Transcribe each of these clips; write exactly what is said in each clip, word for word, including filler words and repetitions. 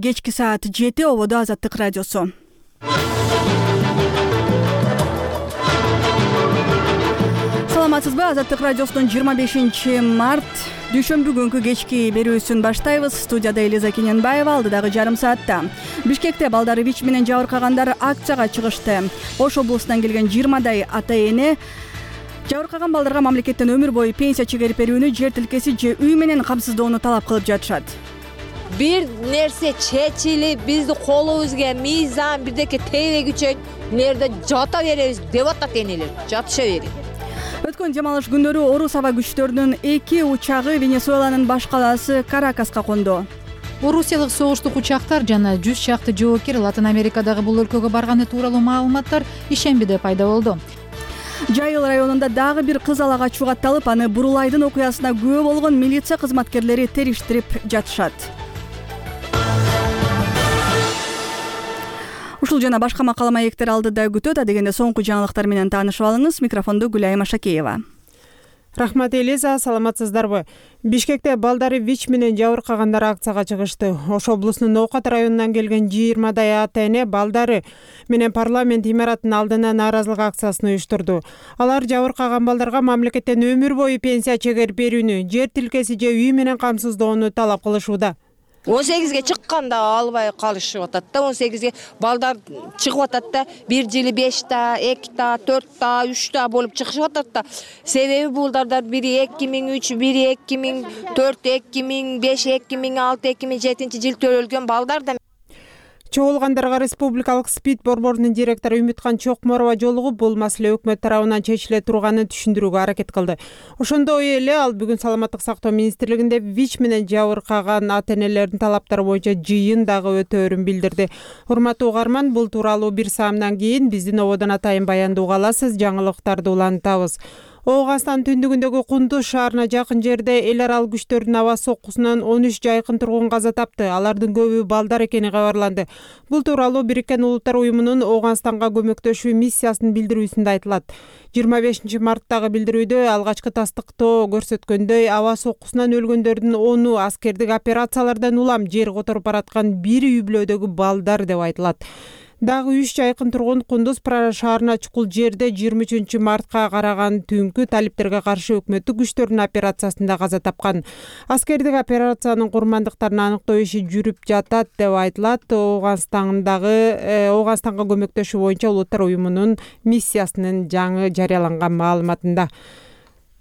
Кечки саат жети ободо Азаттык радиосу. Саламатсызбы? Азаттык радиосунун жыйырма бешинчи март дүйшөмбү күнкү кечки берүүсүн баштайбыз. Студияда Элиза Кененбаева, алдыдагы жарым саатта. Бишкекте балдары ВИЧ менен жабыркагандар акцияга чыгышты. Ош облусунан келген жыйырмадай ата эне жабыркаган балдарга мамлекеттен өмүр бою пенсия чегерип берүүнү, жер тилкеси же үй менен камсыздоону талап кылып жатышат. Бир нерсе чечилип, биздин колубузга мыйзам бирдеке тийбегиче нерде жата беребиз деп атат энелер. Жатыша берет. Өткөн жам алыш күндөрү орус аба күчтөрүнүн эки учагы Венесуэланын баш калаасы Каракаска конду. Орусиялык согуштук учактар жана жүз чакты жоокер Латын Америкадагы бул өлкөгө барганы тууралуу маалыматтар ишембиде пайда болду. Жайыл районунда дагы бир кыз ала качуу катталып, аны Бурулайдын окуясына күбө болгон милиция кызматкерлери териштирип жатышат. Ушул жана башка макала маектер алдыда күтөт. Адегенде соңку жаңылыктар менен таанышып алыңыз. Микрофонду Гүлайым Ашакеева. Рахмат, Элиза, саламатсыздарбы? Бишкекте балдары ВИЧ менен жабыркагандар акцияга чыгышты. Ош облусунун Ноокат районунан келген жыйырмадай ата эне балдары менен парламент имаратынын алдына нааразылык акциясын уюштурду. Алар жабыркаган балдарга мамлекеттен өмүр бою пенсия чегерип берүүнү, жер тилкеси же үй менен камсыздоону талап кылышууда. он сегизге чыкканда албай калышып атат да, он сегизге балдар чыгып атат да, бир жылы беш та, эки та, төрт та, үч та болуп чыгышып атат да. Себеби булдардар бири эки миң үч, бири эки миң төрт, эки миң беш, эки миң алты, эки миң жетинчи жыл төрөлгөн балдар да. Чогулгандарга республикалык СПИД борборунун директору Үмүткан Чокморова жолугуп, бул маселе өкмөт тарабынан чечиле турганын түшүндүрүүгө аракет кылды. Ошондой эле ал бүгүн Саламаттык сактоо министрлигинде ВИЧ менен жабыркаган ата энелердин талаптары боюнча жыйын дагы өтөөрүн билдирди. Урматтуу угарман, бул тууралуу бир саамдан кийин биздин ободон атайын баяндоого аласыз, жаңылыктарды улантабыз. Ооганстан түндүгүндөгү Кундуз шаарына жакын жерде эл аралык күчтөрдүн аба соккусунан он үч жайкын тургун каза тапты. Алардын көбү балдар экени кабарланды. Бул тууралуу Бириккен Улуттар уюмунун Ооганстанга көмөктөшүү миссиясынын билдирүүсүндө айтылат. жыйырма бешинчи марттагы билдирүүдө алгачкы тастыктоо көрсөткөндөй, аба соккусунан өлгөндөрдүн ону аскердик операциялардан улам жер которуп бараткан бир үй бүлөдөгү балдар деп айтылат. Дагы үч жайкын тургун Кундуз шаарына чукул жерде жыйырма үчүнчү мартка караган түнкү талиптерге каршы өкмөттүк күчтөрдүн операциясында каза тапкан. Аскердик операциянын курмандыктарын аныктоо иши жүрүп жатат деп айтылат. Ооганстандагы Ооганстанга көмөктөшүү боюнча Улуттар уюмунун миссиясынын жаңы жарыяланган маалыматында.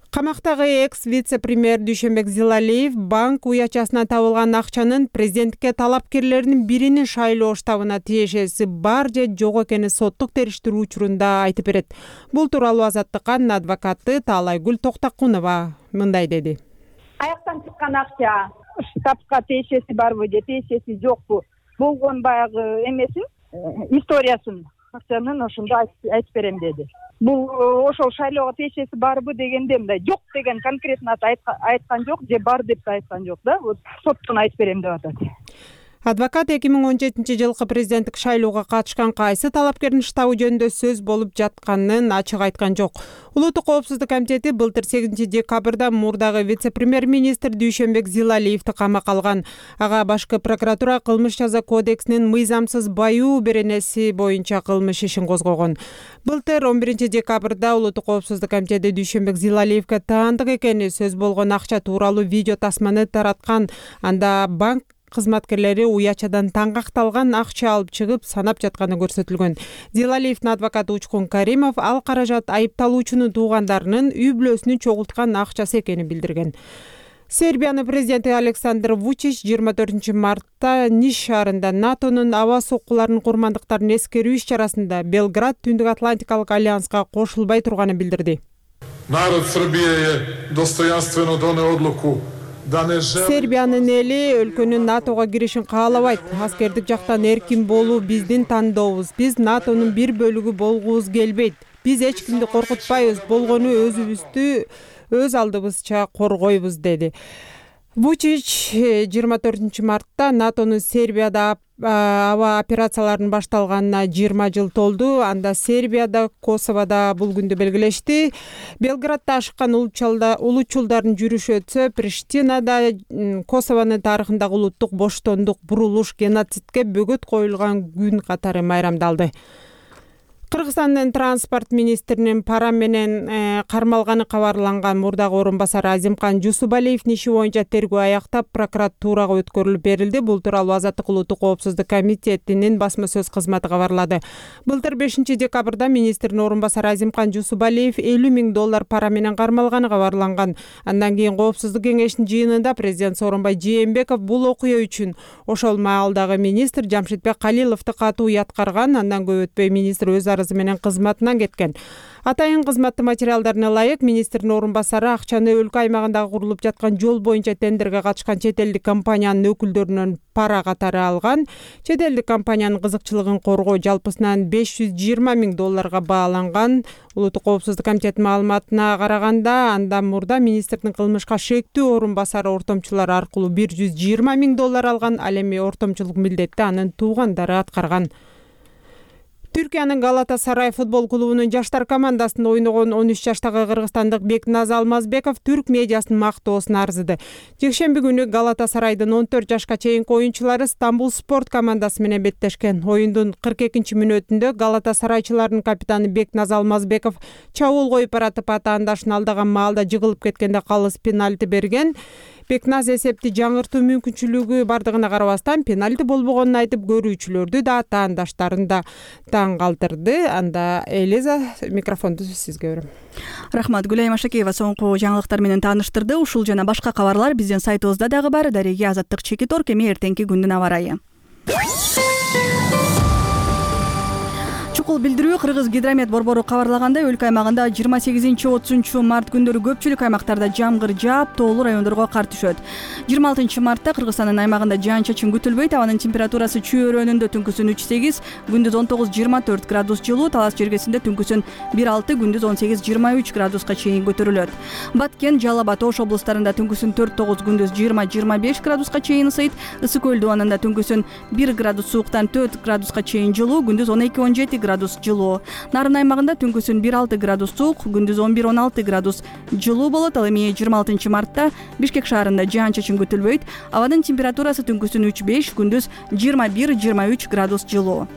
Камактагы экс-вице-премьер Дүйшөнбек Зилалиев банк уячасынан табылган акчанын президенттикке талапкерлеринин биринин шайлоо штабына тиешеси бар же жок экени соттук териштирүү учурунда айтып берет. Бул тууралуу Азаттыкканын адвокаты Таалайгүл Токтокунова мындай деди. Аяктан чыккан акча штабка тиешеси барбы же тиешеси жокпу? Болгон баягы эмесин, историясын акчанын ошондо айтып берем деди. Бул ошол шайлоого тиешеси барбы дегенде мындай жок деген конкретно айткан жок же бар деп айткан жок да. Вот соттон айтып берем деп атат. Адвокат эки миң он жетинчи жылкы президенттик шайлоого катышкан кайсы талапкердин штабы жөнүндө сөз болуп жатканын ачык айткан жок. Улуттук коопсуздук комитети былтыр сегизинчи декабрда мурдагы вице-премьер-министр Дүйшөнбек Зилалиевди камакка алган. Ага башкы прокуратура кылмыш жаза кодексинин мыйзамсыз баюу беренеси боюнча кылмыш ишин козгогон. Былтыр он биринчи декабрда Улуттук коопсуздук комитети Дүйшөнбек Зилалиевге таандык экени сөз болгон акча тууралуу видео тасманы тараткан. Анда банк кызматкерлери уячадан таңгакталган акча алып чыгып санап жатканы көрсөтүлгөн. Зилалиевдин адвокаты Учкун Каримов ал каражат айыпталуучунун туугандарынын үй бүлөсүнүн чогулткан акчасы экенин билдирген. Сербиянын президенти Александр Вучич жыйырма төртүнчү мартта Ниш шаарында НАТОнун аба соккуларынын курмандыктарын эскерүү иш-чарасында Белград Түндүк Атлантикалык альянска кошулбай турганын билдирди. Народ Србије е достојанствено донео одлуку. Сербиянын эли өлкөнүн НАТОго киришин каалабайт. Аскердик жактан эркин болуу биздин тандообуз. Биз НАТОнун бир бөлүгү болгубуз келбейт. Биз эч кимди коркутпайбыз, болгону өзүбүздү өз алдыбызча коргойбуз деди. Вучич жыйырма төртүнчү мартта натонун Сербияда аба операцияларынын башталганына жыйырма жыл толду. Анда Сербияда, Косоводо бул күндү белгилешти. Белградда ашыккан улуучулдардын жүрүшү өтсө, Приштинада Косовонун тарыхындагы улуттук боштондук, бурулуш, геноцидке бөгөт коюлган күн катары майрамдалды. Кыргызстандын транспорт министринин пара менен кармалганы кабарланган мурдагы орун басары Азимкан Жусубалиевдин иши боюнча тергөө аяктап, прокуратурага өткөрүлүп берилди. Бул тууралуу Азаттык улуттук коопсуздук комитетинин басма сөз кызматы кабарлады. Былтыр бешинчи декабрда министрдин орун басары Азимкан Жусубалиев элүү миң доллар пара менен кармалганы кабарланган. Андан кийин коопсуздук кеңешинин жыйынында президент Сооронбай Жээнбеков бул окуя үчүн ошол маалдагы министр Жамшитбек Калиловду катуу уяткарган. Андан көп өтпөй министр өз арызы менен кызматынан кеткен. Атайын кызматтын материалдарына ылайык министрдин орун басары акчаны өлкө аймагындагы курулуп жаткан жол боюнча тендерге катышкан чет элдик компаниянын өкүлдөрүнөн пара катары алган. Чет элдик компаниянын кызыкчылыгын коргоо жалпысынан беш жүз жыйырма миң долларга бааланган. Улуттук коопсуздук комитетинин маалыматына караганда, андан мурда министрдин кылмышка шектүү орун басары ортомчулар аркылуу бир жүз жыйырма миң доллар алган. Ал эми ортомчулук милдетти анын туугандары аткарган. Түркиянын Галатасарай футбол клубунун жаштар командасында ойногон он үч жаштагы кыргызстандык Бекназ Алмазбеков түрк медиасынын мактоосуна арзыды. Жекшемби күнү Галатасарайдын он төрт жашка чейинки оюнчулары Стамбул спорт командасы менен беттешкен. Оюндун кырк экинчи мүнөтүндө Галатасарайчылардын капитаны Бекназ Алмазбеков чабуул коюп баратып атаандашын алдаган маалда жыгылып кеткенде калыс пенальти берген. Бекназ эсепти жаңыртуу мүмкүнчүлүгү бардыгына карабастан пенальти болбогонун айтып, көрүүчүлөрдү да атаандаштарын да таң калтырды. Анда Элиза, микрофонду сизге берем. Рахмат. Гүлайым Ашакеева соңку жаңылыктар менен тааныштырды. Ушул жана башка кабарлар биздин сайтыбызда дагы бар. Дареги Азаттык Чекитор, эми эртеңки күндүн аба ырайы. Чукул билдирүү Кыргыз гидромет борбору кабарлагандай, өлкө аймагында жыйырма сегизинчи отузунчу март күндөрү көпчүлүк аймактарда жамгыр жаап, тоолуу райондорго кар түшөт. жыйырма алтынчы мартта Кыргызстандын аймагында жаан-чачын күтүлбөйт. Абанын температурасы чөйрөнүндө түнкүсүн үч сегиз, күндүз он тогуз жыйырма төрт градус жылуу, Талас жергесинде түнкүсүн бир алты, күндүз он сегиз жыйырма үч градуска чейин көтөрүлөт. Баткен, Жалал Абад, Ош облустарында түнкүсүн төрт тогуз, күндүз жыйырма жыйырма беш градуска чейин ысыйт. Ысык көл дубанында түнкүсүн бир градус сууктан төрт градуска чейин жылуу, күндүз он эки он жети градус жылуу. Нарын аймагында түнкүсүн бир алты градус суук, күндүз он бир он алты градус жылуу болот. Ал эми жыйырма алтынчы мартта Бишкек шаарында жаан-чачын күтүлбөйт. Абанын температурасы түнкүсүн үч беш, күндүз жыйырма бир жыйырма үч градус жылуу.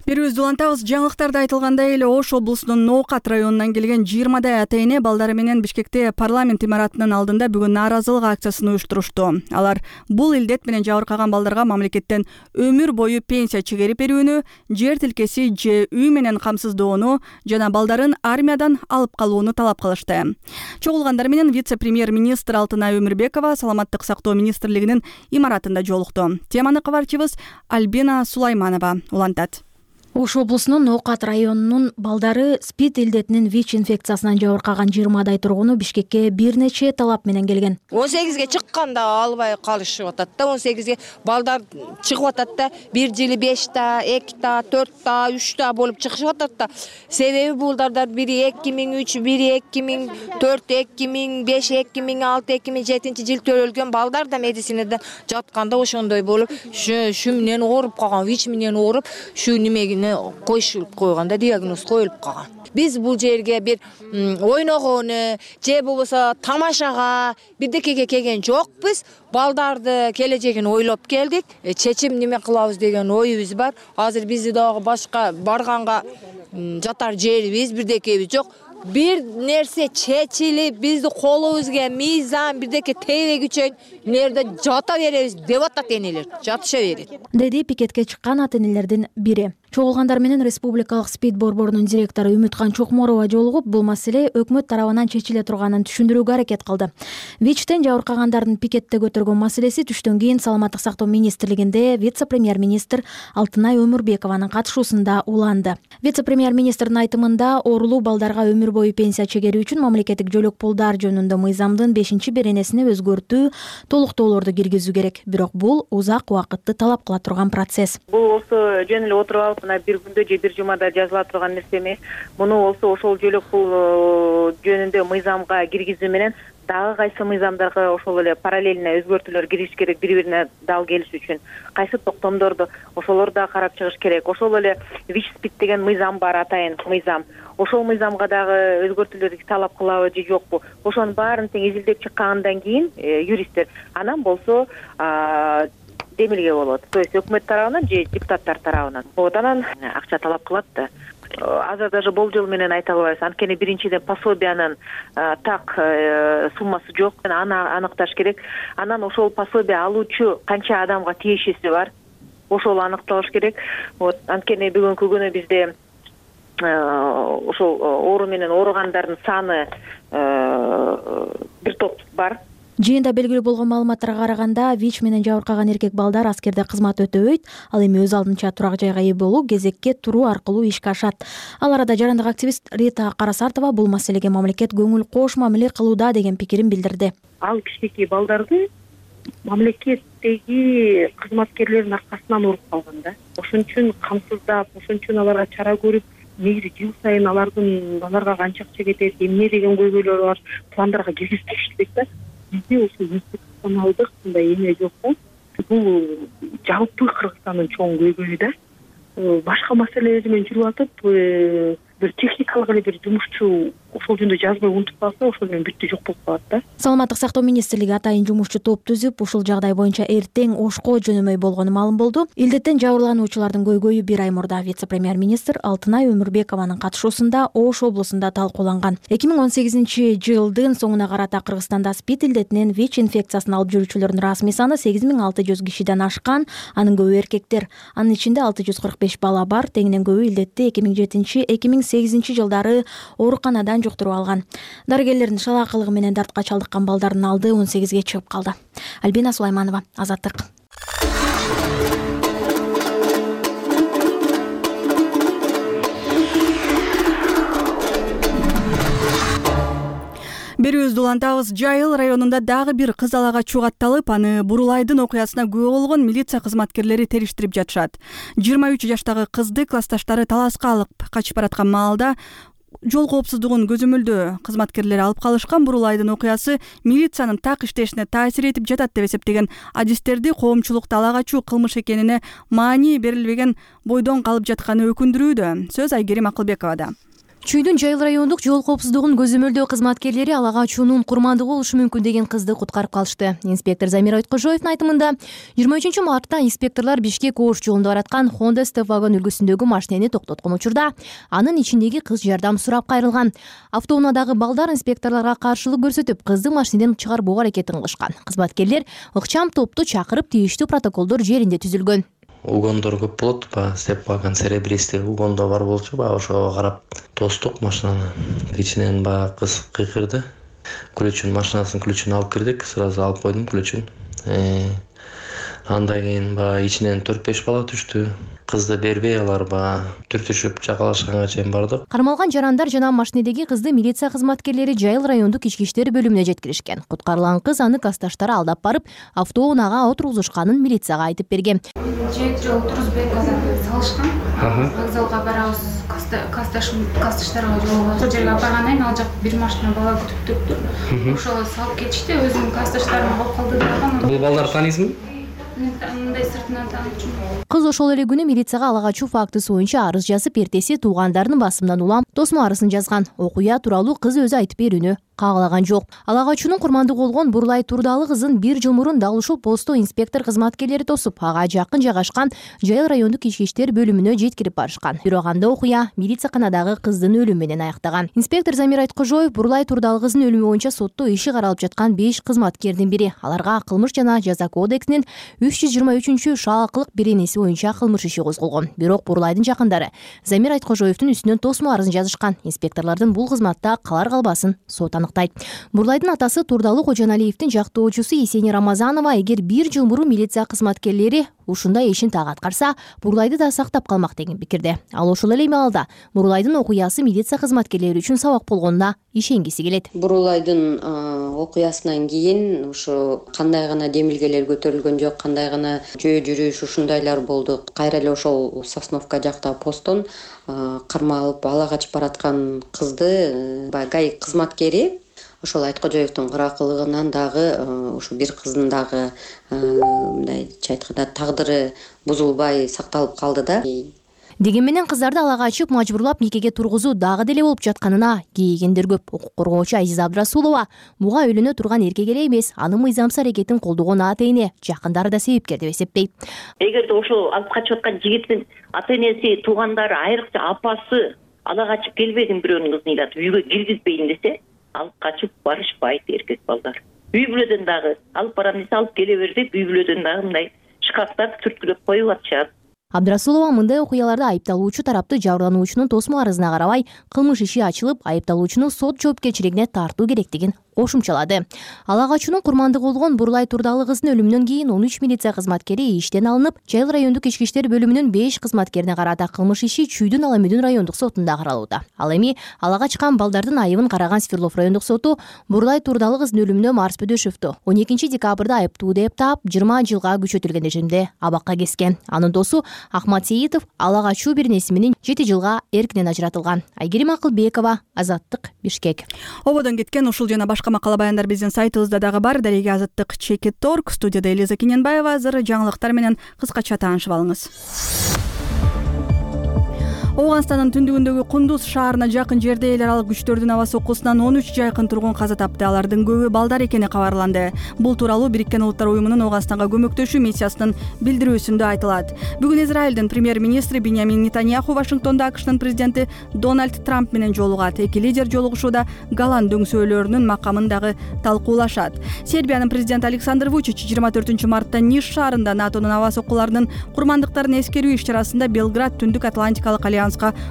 Берүүбүздү улантабыз. Жаңылыктарда айтылгандай эле Ош облусунун Ноокат районунан келген жыйырмадай ата-эне балдары менен Бишкекте парламент имаратынын алдында бүгүн нааразылык акциясын уюштурушту. Алар бул илдет менен жабыркаган балдарга мамлекеттен өмүр бою пенсия чегерип берүүнү, жер тилкеси же үй менен камсыздоону жана балдарын армиядан алып калууну талап кылышты. Чогулгандар менен вице-премьер-министр Алтынай Өмүрбекова Саламаттык сактоо министрлигинин имаратында жолукту. Теманы кабарчыбыз Альбина Сулайманова улантат. Ош облусунун Ноокат районунун балдары СПИД илдетинин ВИЧ инфекциясынан жабыркаган жыйырмадай тургуну Бишкекке бир нече талап менен келген. он сегизге чыкканда албай калышып атат да, он сегизге балдар чыгып атат да, бир жылы беш та, эки та, төрт та, үч та болуп чыгышып атат да. Себеби булдардар бири эки миң үч, бири эки миң төрт, эки миң беш, эки миң алты, эки миң жетинчи жыл төрөлгөн балдар да медицинадан жатканда ошондой болуп, ушу менен ооруп калган, ВИЧ менен ооруп, ушу немеги коюшулуп койганда диагноз коюлуп калган. Биз бул жерге бир ойногону же болбосо тамашага бирдекеге келген жокпуз. Балдарды келечегин ойлоп келдик. Чечим неме кылабыз деген оюбуз бар. Азыр бизди дагы башка барганга жатар жерибиз, бирдекебиз жок. Бир нерсе чечилип, бизди колубузга мыйзам бирдеке тийбегичен нерде жата беребиз деп атат энелер. Жатыша берет. Деди пикетке чыккан ата-энелердин бири. Чогулгандар менен Республикалык СПИД борборунун директору Үмүткан Чокморова жолугуп, бул маселе өкмөт тарабынан чечиле турганын түшүндүрүүгө аракет кылды. ВИЧтен жабыркагандардын пикетте көтөргөн маселеси түштөн кийин Саламаттык сактоо министрлигинде вице-премьер-министр Алтынай Өмүрбекованын катышуусунда уланды. Вице-премьер-министрдин айтымында оорулуу балдарга өмүр өмүр бою пенсия чегери үчүн мамлекеттик жөлөк пулдар жөнүндө мыйзамдын бешинчи беренесине өзгөртүү, толуктоолорду киргизүү керек. Бирок бул узак убакытты талап кыла турган процесс. Бул болсо жөн эле отуруп алып мына бир күндө же бир жумада жазыла турган нерсе эмес. Муну болсо ошол жөлөк пул жөнүндө мыйзамга киргизүү менен дагы кайсы мыйзамдарга ошол эле параллельно өзгөртүүлөр кириш керек, бири-бирине дал келиш үчүн. Кайсы токтомдорду ошолорду да карап чыгыш керек. Ошол эле ВИЧ-СПИД деген мыйзам бар, атайын мыйзам. Ошол мыйзамга дагы өзгөртүүлөрдү талап кылабы же жокпу? Ошонун баарын тең изилдеп чыккандан кийин юристтер анан болсо демилге болот. То есть өкмөт тарабынан же депутаттар тарабынан. Вот анан акча талап кылат да. Азыр даже болжол менен айта албайбыз. Анткени биринчиден пособиянын так суммасы жок. Аны аныкташ керек. Анан ошол пособие алуучу канча адамга тиешеси бар? Ошол аныкталыш керек. Вот анткени бүгүнкү күнү бизде ошол оору менен ооругандардын саны бир топ бар. Жыйында белгилүү болгон маалыматтарга караганда, ВИЧ менен жабыркаган эркек балдар аскерде кызмат өтөбөйт, ал эми өз алдынча турак жайга ээ болуу, кезекке туруу аркылуу ишке ашат. Ал арада жарандык активист Рита Карасартова бул маселеге мамлекет көңүл кош мамиле кылууда деген пикирин билдирди. Ал кичинекей балдарды мамлекеттеги кызматкерлердин аркасынан уруп калган да. Ошон үчүн камсыздап, ошон үчүн аларга чара көрүп, негизи жыл сайын алардын аларга канча акча кетет, эмне деген көйгөйлөр бар, пландарга киргизишти керек да. Бизде ошо институционалдык мындай эме жок да. Бул жалпы Кыргызстандын чоң көйгөйү да. Башка маселелер менен жүрүп атып, бир техникалык эле бир жумушчу ошол жөнүндө жазбай унутуп калса, ошол менен бүттү, жок болуп калат да. Саламаттык сактоо министрлиги атайын жумушчу топ түзүп, ушул жагдай боюнча эртең Ошко жөнөмөй болгону маалым болду. Илдеттен жабырлануучулардын көйгөйү бир ай мурда вице-премьер-министр Алтынай Өмүрбекованын катышуусунда Ош облусунда талкууланган. эки миң он сегизинчи жылдын соңуна карата Кыргызстанда СПИД илдетинен ВИЧ инфекциясын алып жүрүүчүлөрдүн расмий саны сегиз миң алты жүз кишиден ашкан, анын көбү эркектер. Анын ичинде алты жүз кырк беш бала бар, тегинен көбү илдетти эки миң жетинчи эки миң сегизинчи жылдары ооруканадан жуктуруп алган. Дарыгерлердин шалаакылыгы менен дартка чалдыккан балдардын алды он сегизге чыгып калды. Альбина Сулайманова, Азаттык. Берүүбүздү улантабыз. Жайыл районунда дагы бир кызалага чугатталып, аны Бурулайдын окуясына күбө болгон милиция кызматкерлери териштирип жатышат. жыйырма үч жаштагы кызды классташтары таласка алып качып бараткан маалда жол коопсуздугун көзөмөлдөө кызматкерлери алып калышкан. Бурулайдын окуясы милициянын так иштешине таасир этип жатат деп эсептеген адистерди коомчулукта ала качуу кылмыш экенине маани берилбеген бойдон калып жатканы өкүндүрүүдө. Сөз Айгерим Акылбековада. Чүйдүн Жайыл райондук жол коопсуздугун көзөмөлдөө кызматкерлери ала качуунун курмандыгы болушу мүмкүн деген кызды куткарып калышты. Инспектор Замир Айткожоевдун айтымында, жыйырма үчүнчү мартта инспекторлор Бишкек Ош жолунда бараткан Honda Step вагон үлгүсүндөгү машинени токтоткон учурда анын ичиндеги кыз жардам сурап кайрылган. Автоунаадагы балдар инспекторлорго каршылык көрсөтүп, кызды машинеден чыгарбоо аракетин кылышкан. Кызматкерлер ыкчам топту чакырып, тийиштүү протоколдор жеринде түзүлгөн. Угондор көп болот, ба степ вагон серебристый угондо бар болчу, ба ошого карап тостук машинаны. Ичинен ба кыз кыйкырды. Ключун, машинасынын ключун алып кирдик, сразу алып койдум ключун. Андан кийин ба ичинен төрт беш бала түштү. Кызды бербей алар ба түртүшүп жакалашканга чейин бардык. Кармалган жарандар жана машинедеги кызды милиция кызматкерлери Жайыл райондук ички иштер бөлүмүнө жеткиришкен. Куткарылган кыз аны классташтары алдап барып, автоунаага отургузушканын милицияга айтып берген. Жек жол турузбек салышкан. Вокзалга барабыз, классташтарга жолго ошол жерге баргандан кийин ал жак бир машина бала күтүп турупту. Ошол салып кетишти, өзүнүн классташтарым алып калды дагы. Бул балдар таанисизби? Мындай сыртынан таанычумун. Кыз ошол эле күнү милицияга ала качуу фактысы боюнча арыз жазып, эртеси туугандарынын басымынан улам тосмо арызын жазган. Окуя тууралуу кыз өзү айтып берүүнү каалаган жок. Ала качуунун курмандыгы болгон Бурулай Турдалы кызын бир жыл мурун дал ушул постто инспектор кызматкерлери тосуп, ага жакын жайгашкан Жайыл райондук ички иштер бөлүмүнө жеткирип барышкан. Бирок анда окуя милицияканадагы кыздын өлүмү менен аяктаган. Инспектор Замир Айткожоев Бурулай Турдалы кыздын өлүмү боюнча сотто иши каралып жаткан беш кызматкердин бири. Аларга кылмыш жана жаза кодексинин үч жүз жыйырма үчүнчү шаакылык беренеси боюнча кылмыш иши козголгон. Бирок Бурулайдын жакындары Замир Айткожоевдун үстүнөн тосмо арызын жазышкан. Инспекторлордун бул кызматта калар калбасын сот аныктайт. Бурлайдын атасы Турдалуу Кожоналиевдин жактоочусу Есени Рамазанова эгер бир жыл мурун милиция кызматкерлери ушундай ишин так аткарса, Бурлайды да сактап калмак деген пикирде. Ал ошол эле маалда Бурлайдын окуясы милиция кызматкерлери үчүн сабак болгонуна ишенгиси келет. Бурлайдын окуясынан кийин ушу кандай гана демилгелер көтөрүлгөн жок, кандай гана жөө жүрүш ушундайлар болду. Кайра эле ошол Сосновка жакта посттон кармалып ала качып бараткан кызды ГАИ кызматкери ошол Айткожоевдун кыракылыгынан дагы ушу бир кыздын дагы мындайча айтканда тагдыры бузулбай сакталып калды да. Деген менен кыздарды ала качып мажбурлап никеге тургузуу дагы деле болуп жатканына кейигендер көп. Укук коргоочу Азиза Абдрасулова буга үйлөнө турган эркек эле эмес, анын мыйзамсыз аракетин колдогон ата эне жакындары да себепкер деп эсептейт. Эгерде ошол алып качып аткан жигиттин ата энеси, туугандары, айрыкча апасы ала качып келбегин бирөөнүн кызын ыйлатып үйгө киргизбейин десе, алып качып барышпайт эркек балдар. Үй бүлөдөн дагы алып барам десе алып келе бер деп үй бүлөдөн дагы мындай шкафтап түрткүлөп коюп атышат. Абдрасулова мындай окуяларда айыпталуучу тарапты жабырлануучунун тосмо арызына карабай кылмыш иши ачылып, айыпталуучуну сот жоопкерчилигине тартуу керектигин кошумчалады. Ала качуунун курмандыгы болгон Бурлай Турдалуу кыздын өлүмүнөн кийин он үч милиция кызматкери иштен алынып, Жайыл райондук ички иштер бөлүмүнүн беш кызматкерине карата кылмыш иши Чүйдүн Ала Мүдүн райондук сотунда каралууда. Ал эми ала качкан балдардын айыбын караган Свердлов райондук соту Бурлай Турдалуу кыздын өлүмүнө Марс Бөдөшевду он экинчи декабрда айыптуу деп таап, жыйырма жылга күчөтүлгөн режимде абакка кескен. Анын досу Ахмат Сейитов ала качуу бирнеси менен жети жылга эркинен ажыратылган. Айгерим Акылбекова, Азаттык, Бишкек. Ободон кеткен ушул жана башка макала баяндар биздин сайтыбызда дагы бар. Дареги Азаттык чекит точка орг. Студияда Элиза Кененбаева. Азыр жаңылыктар менен кыскача таанышып алыңыз. Ооганстандын түндүгүндөгү Кундуз шаарына жакын жерде эл аралык күчтөрдүн аба соккусунан он үч жайкын тургун каза тапты. Алардын көбү балдар экени кабарланды. Бул тууралуу Бириккен Улуттар уюмунун Ооганстанга көмөктөшүү миссиясынын билдирүүсүндө айтылат. Бүгүн Израилдин премьер-министри Биньямин Нетаньяху Вашингтондо АКШнын президенти Дональд Трамп менен жолугат. Эки лидер жолугушууда Голланд дөңсөөлөрүнүн макамын дагы талкуулашат. Сербиянын президенти Александр Вучич жыйырма төртүнчү мартта Ниш шаарында НАТОнун аба соккуларынын курмандыктарын эскерүү иш-чарасында Белград Түндүк Атлантикалык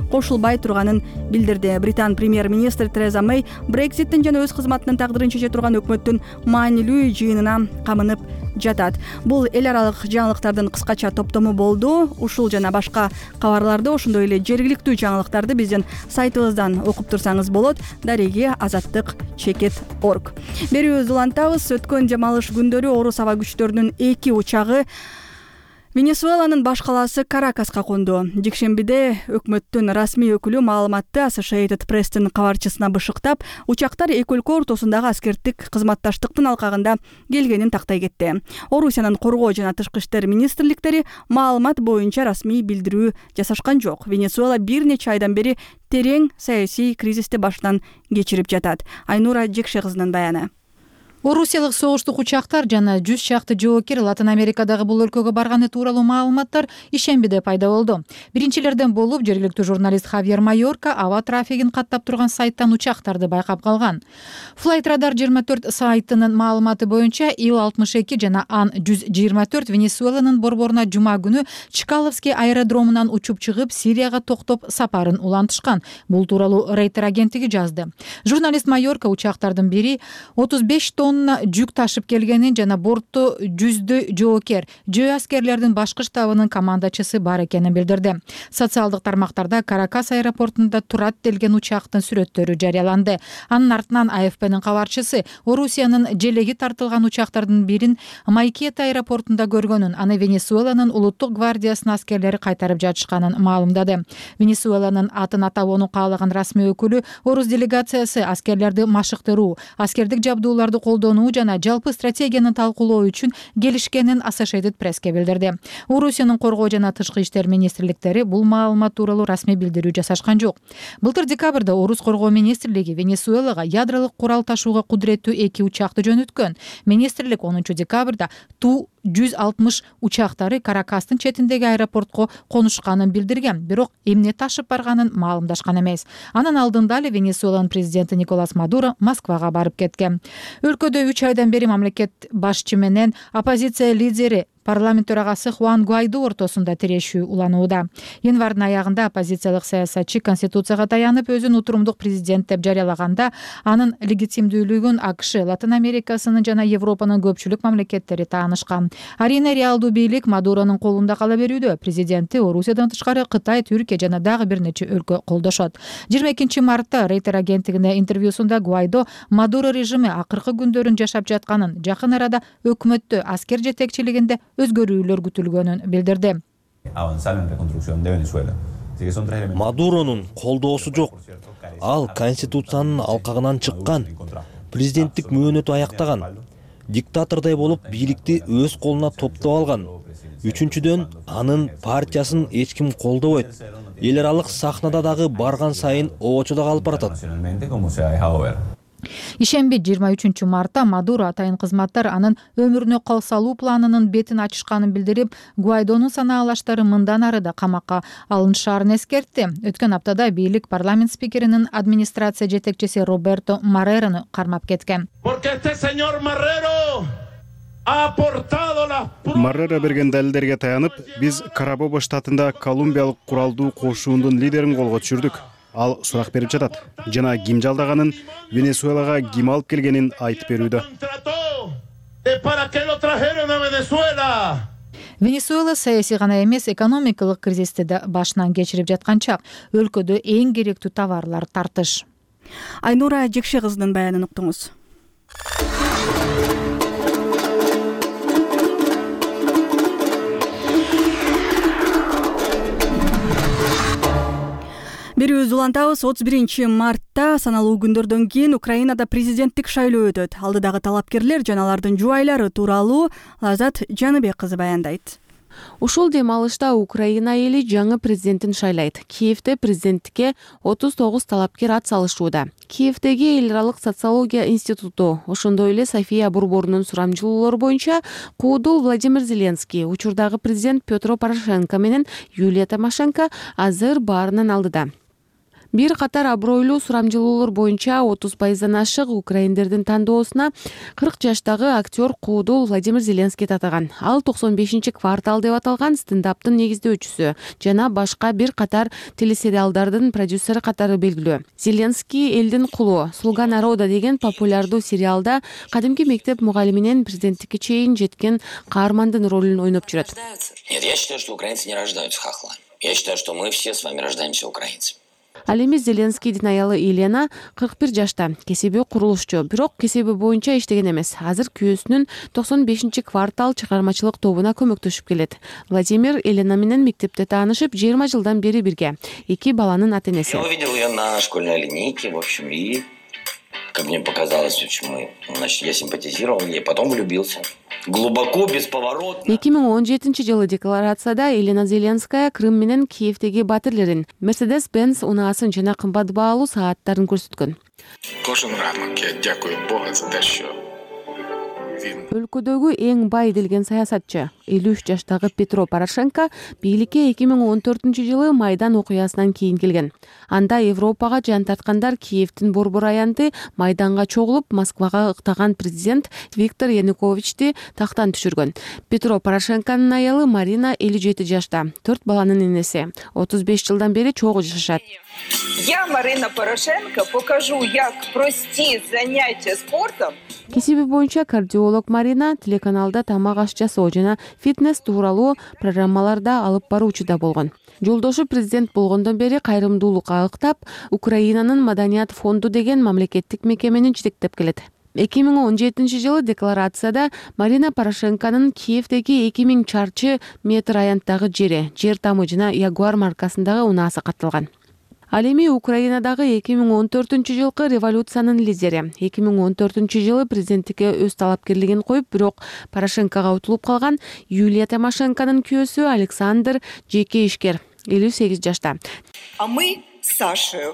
кошулбай турганын билдирди. Британ премьер-министр Тереза Мэй Брекситтин жана өз кызматынын тагдырын чече турган өкмөттүн маанилүү жыйынына камынып жатат. Бул эл аралык жаңылыктардын кыскача топтому болду. Ушул жана башка кабарларды, ошондой эле жергиликтүү жаңылыктарды биздин сайтыбыздан окуп турсаңыз болот. Дареги Азаттык чекит точка орг. Берүүбүздү улантабыз. Өткөн жам алыш күндөрү орус аба күчтөрүнүн эки учагы Венесуэланын баш калаасы Каракаска конду. Жекшембиде өкмөттүн расмий өкүлү маалыматты Associated Press'тин кабарчысына бышыктап, учактар эки өлкө ортосундагы аскердик кызматташтыктын алкагында келгенин тактай кетти. Орусиянын коргоо жана тышкы иштер министрликтери маалымат боюнча расмий билдирүү жасашкан жок. Венесуэла бир нече айдан бери терең саясий кризисти башынан кечирип жатат. Айнура Жекше кызынын баяны. Орусиялык согуштук учактар жана жүз чакты жоокер Латын Америкадагы бул өлкөгө барганы тууралуу маалыматтар ишембиде пайда болду. Биринчилерден болуп жергиликтүү журналист Хавьер Майорка аба трафигин каттап турган сайттан учактарды байкап калган. Flight Radar жыйырма төрт сайтынын маалыматы боюнча Ил алтымыш эки жана Ан жүз жыйырма төрт Венесуэланын борборуна жума күнү Чкаловский аэродромунан учуп чыгып Сирияга токтоп сапарын улантышкан. Бул тууралуу Рейтер агенттиги жазды. Журналист Майорка учактардын бири отуз беш тонна жүк ташып келгенин жана бортто жүздө жоокер, жөө аскерлердин башкы штабынын командачысы бар экенин билдирди. Социалдык тармактарда Каракас аэропортунда турат делген учактын сүрөттөрү жарыяланды. Анын артынан А Ф П'нин кабарчысы Орусиянын желеги тартылган учактардын бирин Майкета аэропортунда көргөнүн, аны Венесуэланын улуттук гвардиясынын аскерлери кайтарып жатышканын маалымдады. Венесуэланын атын атабоону каалаган расмий өкүлү орус делегациясы аскерлерди машыктыруу, аскердик жабдууларды колдонуу жана жалпы стратегияны талкуулоо үчүн келишкенин Associated Press'ке билдирди. Орусиянын коргоо жана тышкы иштер министрликтери бул маалымат тууралуу расмий билдирүү жасашкан жок. Былтыр декабрда орус коргоо министрлиги Венесуэлага ядролук курал ташууга кудуреттүү эки учакты жөнөткөн. Министрлик онунчу декабрда Ту жүз алтымыш учактары Каракастын четиндеги аэропортко конушканын билдирген, бирок эмне ташып барганын маалымдашкан эмес. Анын алдында эле Венесуэланын президенти Николас Мадуро Москвага барып кеткен. Өлкөдө үч айдан бери мамлекет башчы менен оппозиция лидери парламент төрагасы Хуан Гуайдо ортосунда тирешүү уланууда. Январдын аягында оппозициялык саясатчы конституцияга таянып өзүн утурумдук президент деп жарыялаганда анын легитимдүүлүгүн АКШ, Латын Америкасынын жана Европанын көпчүлүк мамлекеттери таанышкан. Арийне реалдуу бийлик Мадуронун колунда кала берүүдө. Президенти Орусиядан тышкары Кытай, Түркия жана дагы бир нече өлкө колдошот. жыйырма экинчи мартта Рейтер агенттигине интервьюсунда Гуайдо Мадуро режими акыркы күндөрүн жашап жатканын, жакын арада өкмөттө аскер жетекчилигинде өзгөрүүлөр күтүлгөнүн билдирди. Мадуронун колдоосу жок. Ал конституциянын алкагынан чыккан, президенттик мөөнөтү аяктаган, диктатордой болуп бийликти өз колуна топтоп алган. Үчүнчүдөн, анын партиясын эч ким колдобойт. Эл аралык сахнада дагы барган сайын обочодо калып баратат. Ишемби жыйырма үчүнчү мартта Мадуро атайын кызматтар анын өмүрүнө кол салуу планынын бетин ачышканын билдирип, Гуайдонун санаалаштары мындан ары да камакка алынышаарын эскертти. Өткөн аптада бийлик парламент спикеринин администрация жетекчиси Роберто Маррерону кармап кеткен. Маррера берген далилдерге таянып, биз Карабоба штатында колумбиялык куралдуу кошуундун лидерин колго түшүрдүк. Ал сурак берип жатат жана ким жалдаганын, Венесуэлага ким алып келгенин айтып берүүдө. Венесуэла саясий гана эмес, экономикалык кризисти да башынан кечирип жаткан чак. Өлкөдө эң керектүү товарлар тартыш. Айнура Жекше кызынын баянын уктуңуз. Берүүбүз улантабыз. отуз биринчи мартта саналуу күндөрдөн кийин Украинада президенттик шайлоо өтөт. Алдыдагы талапкерлер жана алардын жубайлары тууралуу Лазат Жаныбек кызы баяндайт. Ушул дем алышта Украина эли жаңы президентин шайлайт. Киевде президенттикке отуз тогуз талапкер ат салышууда. Киевдеги эл аралык социология институту, ошондой эле София борборунун сурамжылоолору боюнча куудул Владимир Зеленский, учурдагы президент Петро Порошенко менен Юлия Тимошенко азыр баарынын алдыда. Бир катар абройлуу сурамжылоолор боюнча отуз пайыздан ашык украиндердин тандоосуна кырк жаштагы актер куудул Владимир Зеленский татыган. Ал токсон бешинчи квартал деп аталган стендаптын негиздөөчүсү жана башка бир катар телесериалдардын продюсери катары белгилүү. Зеленский элдин кулу, Слуга народа деген популярдуу сериалда кадимки мектеп мугалиминен президенттикке чейин жеткен каармандын ролун ойноп жүрөт. Нет, я считаю, что украинцы не рождаются хохлами. Я считаю, что мы все с вами рождаемся украинцами. Ал эми Зеленскийдин аялы Елена кырк бир жашта, кесиби курулушчу, бирок кесиби боюнча иштеген эмес. Азыр күйөөсүнүн токсон бешинчи квартал чыгармачылык тобуна көмөктөшүп келет. Владимир Елена менен мектепте таанышып, жыйырма жылдан бери бирге. Эки баланын ата-энеси. Я увидел ее на школьной линейке, в общем, и, как мне показалось, в общем, значит, я симпатизировал ей, потом влюбился. Глубоко, бесповоротно. эки миң он жетинчи жылы декларацияда Елена Зеленская Крым менен Киевдеги батирлерин, Mercedes-Benz унаасын жана кымбат баалуу сааттарын көрсөткөн. Кожен ранок я дякую Бога за те, що Өлкөдөгү эң бай делген саясатчы элүү үч жаштагы Петро Порошенко бийликке эки миң он төртүнчү жылы Майдан окуясынан кийин келген. Анда Европага жан тарткандар Киевдин борбор аянты Майданга чогулуп, Москвага ыктаган президент Виктор Януковичти тактан түшүргөн. Петро Порошенконун аялы Марина элүү жети жашта, төрт баланын энеси, отуз беш жылдан бери чогуу жашашат. Я, Марина Порошенко, покажу, як прости занятия спортом. Кесиби боюнча кардиолог Марина телеканалда тамак аш жасоо жана фитнес тууралуу программаларда алып баруучу да болгон. Жолдошу президент болгондон бери кайрымдуулукка ыктап, Украинанын Маданият фонду деген мамлекеттик мекемени жетектеп келет. эки миң он жетинчи жылы декларацияда Марина Порошенконун Киевдеги эки миң чарчы метр аянттагы жери, жер тамы жана Ягуар маркасындагы унаасы катталган. Ал эми Украинадагы эки миң он төртүнчү жылкы революциянын лидери. эки миң он төртүнчү жылы президенттикке өз талапкерлигин коюп, бирок Порошенкого утулуп калган Юлия Тимошенконун күйөөсү Александр жеке ишкер, элүү сегиз жашта. А мы с Сашей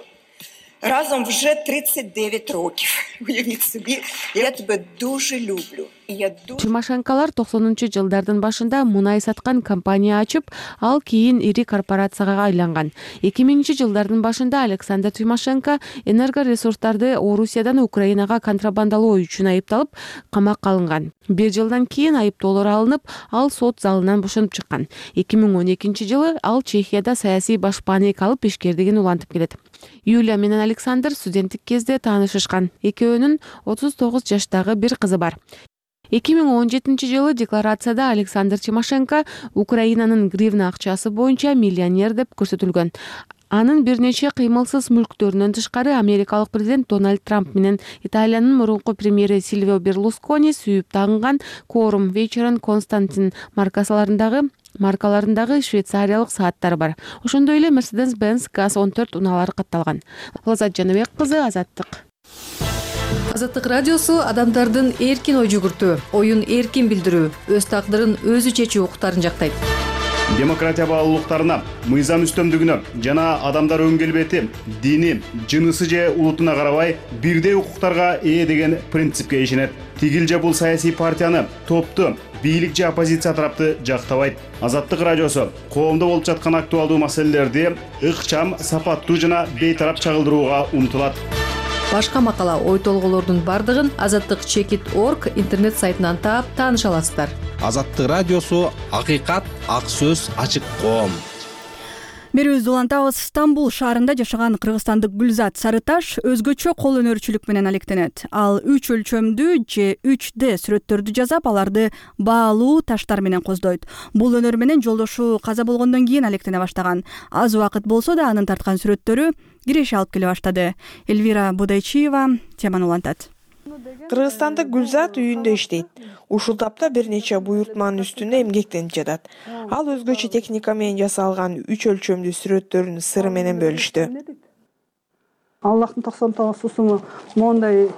разом вже тридцять дев'ять років. Уявіть собі, я тебе дуже люблю. Тимошенколор токсонунчу жылдардын башында мунай саткан компания ачып, ал кийин ири корпорацияга айланган. эки миңинчи жылдардын башында Александр Тимошенко энергоресурстарды Орусиядан Украинага контрабандалоо үчүн айыпталып, камакка алынган. Бир жылдан кийин айыптоолор алынып, ал сот залынан бошонуп чыккан. эки миң он экинчи жылы ал Чехияда саясий башпаанек алып ишкердигин улантып келет. Юлия менен Александр студенттик кезде таанышышкан. Экөөнүн отуз тогуз жаштагы бир кызы бар. эки миң он жетинчи жылы декларацияда Александр Тимошенко Украинанын гривна акчасы боюнча миллионер деп көрсөтүлгөн. Анын бир нече кыймылсыз мүлктөрүнөн тышкары америкалык президент Дональд Трамп менен Италиянын мурунку премьери Сильвио Берлускони сүйүп тагынган Quorum Veyron Constantin маркасаларындагы маркаларындагы швейцариялык сааттар бар. Ошондой эле Mercedes-Benz газ он төрт унаалары катталган. Лазат Жаныбек кызы, Азаттык. Азаттык радиосу адамдардын эркин ой жүгүртүү, оюн эркин билдирүү, өз тагдырын өзү чечүү укуктарын жактайт. Демократия баалуулуктарына, мыйзам үстөмдүгүнө жана адамдар өн келбети, дини, жынысы же улутуна карабай бирдей укуктарга ээ деген принципке ишенет. Тигил же бул саясий партияны, топту, бийлик же оппозиция тарапты жактабайт. Азаттык радиосу коомдо болуп жаткан актуалдуу маселелерди ыкчам, сапаттуу жана бейтарап чагылдырууга умтулат. Башка макала, ой толгоолордун бардыгын азаттык чекит точка орг интернет сайтынан таап тааныша аласыздар. Азаттык радиосу акыйкат, ак сөз, ачык коом. Берүүбүздү улантабыз. Стамбул шаарында жашаган кыргызстандык Гүлзат Сарыташ өзгөчө кол өнөрчүлүк менен алектенет. Ал үч өлчөмдүү же үч дэ сүрөттөрдү жасап, аларды баалуу таштар менен коздойт. Бул өнөр менен жолдошу каза болгондон кийин алектене баштаган. Аз убакыт болсо да анын тарткан сүрөттөрү киреше алып келе баштады. Эльвира Будайчиева теманы улантат. Кыргызстандык Гүлзат үйүндө иштейт. Ушул тапта бир нече буйртманын үстүндө эмгектенип жатат. Ал өзгөчө техника менен жасалган үч өлчөмдүү сүрөттөрүн сыры менен бөлүштү. Аллахтын токсон тогуз сусуму моундай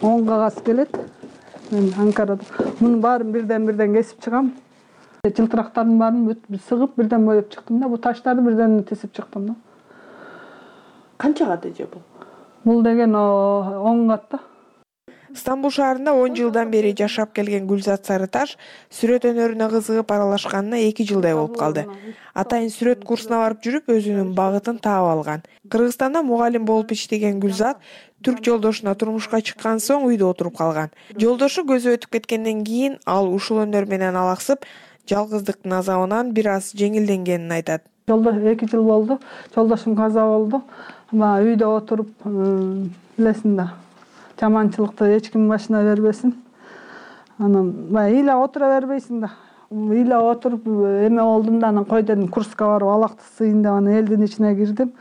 он кагаз келет. Мен Анкарада мунун баарын бирден-бирден кесип чыгам. Жылтырактардын баарын сыгып бирден боеп чыктым да, бу таштарды бирден тесип чыктым да. Канча кат эже бул? Бул деген он катта. Стамбул шаарында он жылдан бери жашап келген Гүлзат Сарыташ сүрөт өнөрүнө кызыгып аралашканына эки жылдай болуп калды. Атайын сүрөт курсуна барып жүрүп, өзүнүн багытын таап алган. Кыргызстанда мугалим болуп иштеген Гүлзат түрк жолдошуна турмушка чыккан соң үйдө отуруп калган. Жолдошу көзү өтүп кеткенден кийин ал ушул өнөр менен алаксып, жалгыздыктын азабынан бир аз жеңилденгенин айтат. Жолдош эки жыл болду. Жолдошум каза болду. Ма үйдө отуруп, билесиң да, жаманчылыкты эч ким башына бербесин. Анан баягы ыйлап отура бербейсиң да. Ыйлап отуруп эме болдум да, анан кой дедим, Курска барып алакты сыйын деп анан элдин ичине кирдим.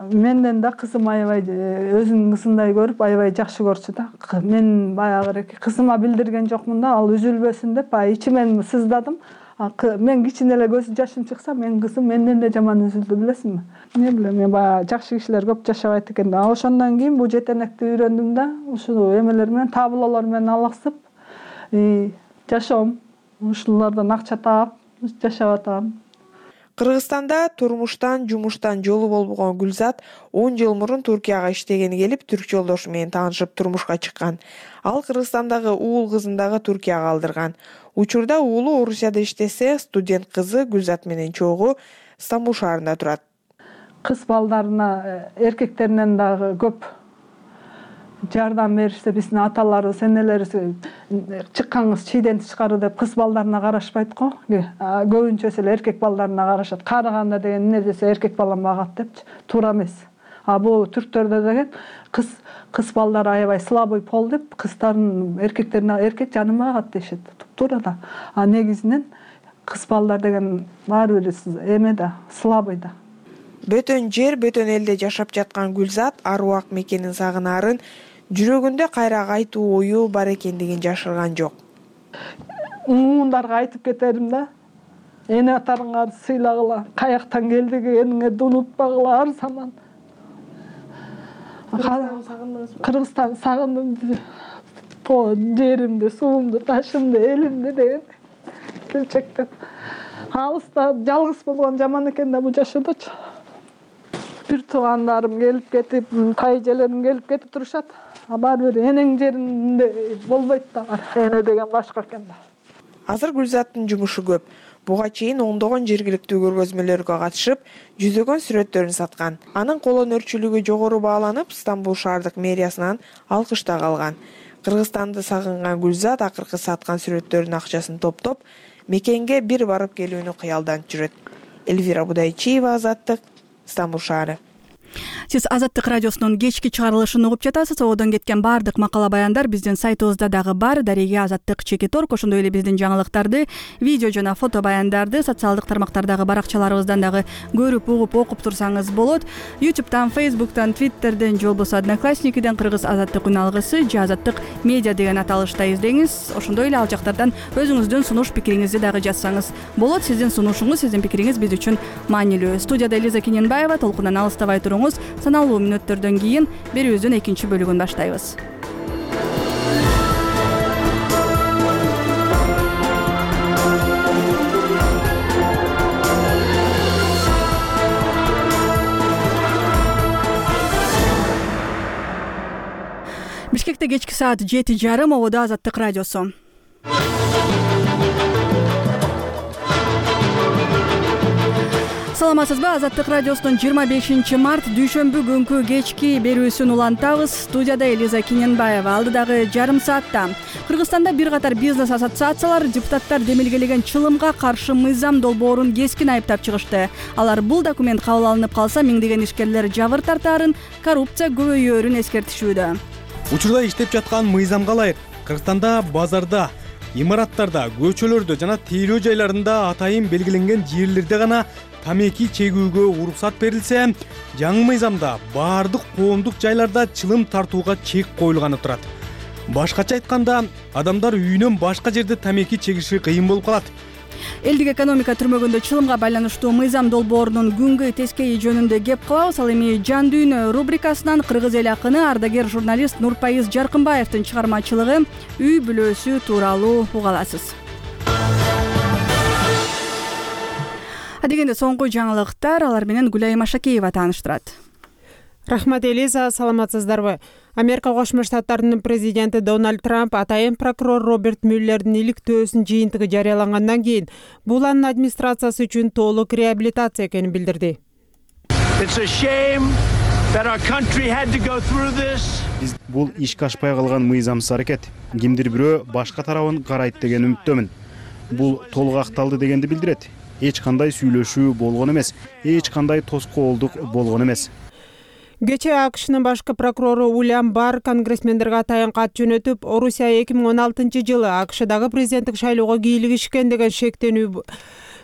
Менден да кызым аябай өзүнүн кызындай көрүп, аябай жакшы көрчү да. Мен баягы кызыма билдирген жокмун да, ал үзүлбөсүн деп, баягы ичимен сыздадым. Мен кичине эле көз жашым чыкса, мен кызым менден да жаман үзүлдү, билесиңби? Не билем, мен баягы жакшы кишилер көп жашабайт экен да. Ошондон кийин бул жетенекти үйрөндүм да, ушул эмелер менен, таблолор менен алаксып, жашоом, ушулардан акча таап, жашап атам. Кыргызстанда турмуштан, жумуштан жолу болбогон Гүлзат он жыл мурун Туркияга иштегени келип, түрк жолдошу менен таанышып турмушка чыккан. Ал Кыргызстандагы уул кызын дагы Туркияга алдырган. Учурда уулу Орусияда иштесе, студент кызы Гүлзат менен чогуу Стамбул шаарында турат. Кыз балдарына, эркектеринен дагы көп жардам беришсе, биздин аталарыбыз, энелерибиз чыккан кыз чийден тышкары деп кыз балдарына карашпайт го. Көбүнчөсү эле эркек балдарына карашат. Карыганда деген эмне десе эркек балам багат депчи. Туура эмес. А бул түрктөрдө деген кыз кыз балдар аябай слабый пол деп, кыздардын эркектерине эркек жанын багат дешет. Туура да. А негизинен кыз балдар деген баары бир эме да, слабый да. Бөтөн жер, бөтөн элде жашап жаткан Гүлзат аруак мекенин сагынарын, жүрөгүндө кайра кайтуу ою бар экендигин жашырган жок. Муундарга айтып кетерим да. Эне атарыңарды сыйлагыла, каяктан келдигиңерди унутпагыла ар заман. Кыргызстан сагындым. То жеримди, суумду, ташымды, элимди деген келчектен. Алыста жалгыз болгон жаман экен да бул жашоодочу. бир туугандарым келип кетип, тайжелерим келип кетип турушат. А баары бир энең жеринде болбойт да бар. Эне деген башка экен да. Азыр Гүлзаттын жумушу көп. Буга чейин ондогон жергиликтүү көргөзмөлөргө катышып, жүзөгөн сүрөттөрүн саткан. Анын кол өнөрчүлүгү жогору бааланып, Стамбул шаардык мэриясынан алкыш да алган. Кыргызстанды сагынган Гүлзат акыркы саткан сүрөттөрүнүн акчасын топтоп, мекенге бир барып келүүнү кыялданып жүрөт. Эльвира Будайчиева, Азаттык, Стамбул шаары. Сиз Азаттык радиосунун кечки чыгарылышын угуп жатасыз. Одон кеткен баардык макала баяндар биздин сайтыбызда дагы бар. Дареге Азаттык чекит точка орг. Ошондой эле биздин жаңылыктарды, видео жана фото баяндарды социалдык тармактардагы баракчаларыбыздан дагы көрүп, угуп, окуп турсаңыз болот. YouTube'дан, Facebook'тан, Twitter'ден, же болбосо Одноклассникиден Кыргыз Азаттык үн алгысы же Азаттык медиа деген аталышта издеңиз. Ошондой эле ал жактардан өзүңүздүн сунуш пикириңизди дагы жазсаңыз болот. Сиздин сунушуңуз, сиздин пикириңиз биз үчүн маанилүү. Студияда Элиза Кененбаева, толкундан алыстабай туруңуз. Саналуу мүнөттөрдөн кийин берүүбүздүн экинчи бөлүгүн баштайбыз. Бишкекте кечки саат жети жарым, ободо Азаттык радиосу. Саламатсызбы? Азаттык радиосунун жыйырма бешинчи март дүйшөмбү күнкү кечки берүүсүн улантабыз. Студияда Элиза Кененбаева. Алдыдагы жарым саатта Кыргызстанда бир катар бизнес ассоциациялар депутаттар демилгелеген чылымга каршы мыйзам долбоорун кескин айыптап чыгышты. Алар бул документ кабыл алынып калса, миңдеген ишкерлер жабыр тартаарын, коррупция көбөйөөрүн эскертишүүдө. Учурда иштеп жаткан мыйзамга ылайык Кыргызстанда базарда, имараттарда, көчөлөрдө жана тейлөө жайларында атайын белгиленген жерлерде гана тамеки чегүүгө уруксат берилсе, жаңы мыйзамда баардык коомдук жайларда чылым тартууга чек коюлганы турат. Башкача айтканда, адамдар үйүнөн башка жерде тамеки чегиши кыйын болуп калат. Элдик экономика түрмөгүндө чылымга байланыштуу мыйзам долбоорунун күнгөй тескейи жөнүндө кеп кылабыз. Ал эми Жан дүйнө рубрикасынан кыргыз эл акыны, ардагер журналист Нурпайыз Жаркынбаевдин чыгармачылыгы Үй бүлөсү тууралуу уга аласыз. Дегенде соңку жаңылыктар, алар менен Гүлайым Ашакеева тааныштырат. Рахмат, Элиза, саламатсыздарбы? Америка Кошмо Штаттарынын президенти Дональд Трамп атайын прокурор Роберт Мюллердин иликтөөсүнүн жыйынтыгы жарыялангандан кийин бул анын администрациясы үчүн толук реабилитация экенин билдирди. Биз бул ишке ашпай калган мыйзамсыз аракет. Кимдир бирөө башка тарабын карайт деген үмүттөмүн. Бул толук акталды дегенди билдирет. Эч кандай сүйлөшүү болгон эмес, эч кандай тоскоолдук болгон эмес. Кечээ АКШнын башкы прокурору Уильям Барр конгрессмендерге атайын кат жөнөтүп, Орусия эки миң он алтынчы жылы АКШдагы президенттик шайлоого кийлигишкен деген шектенүү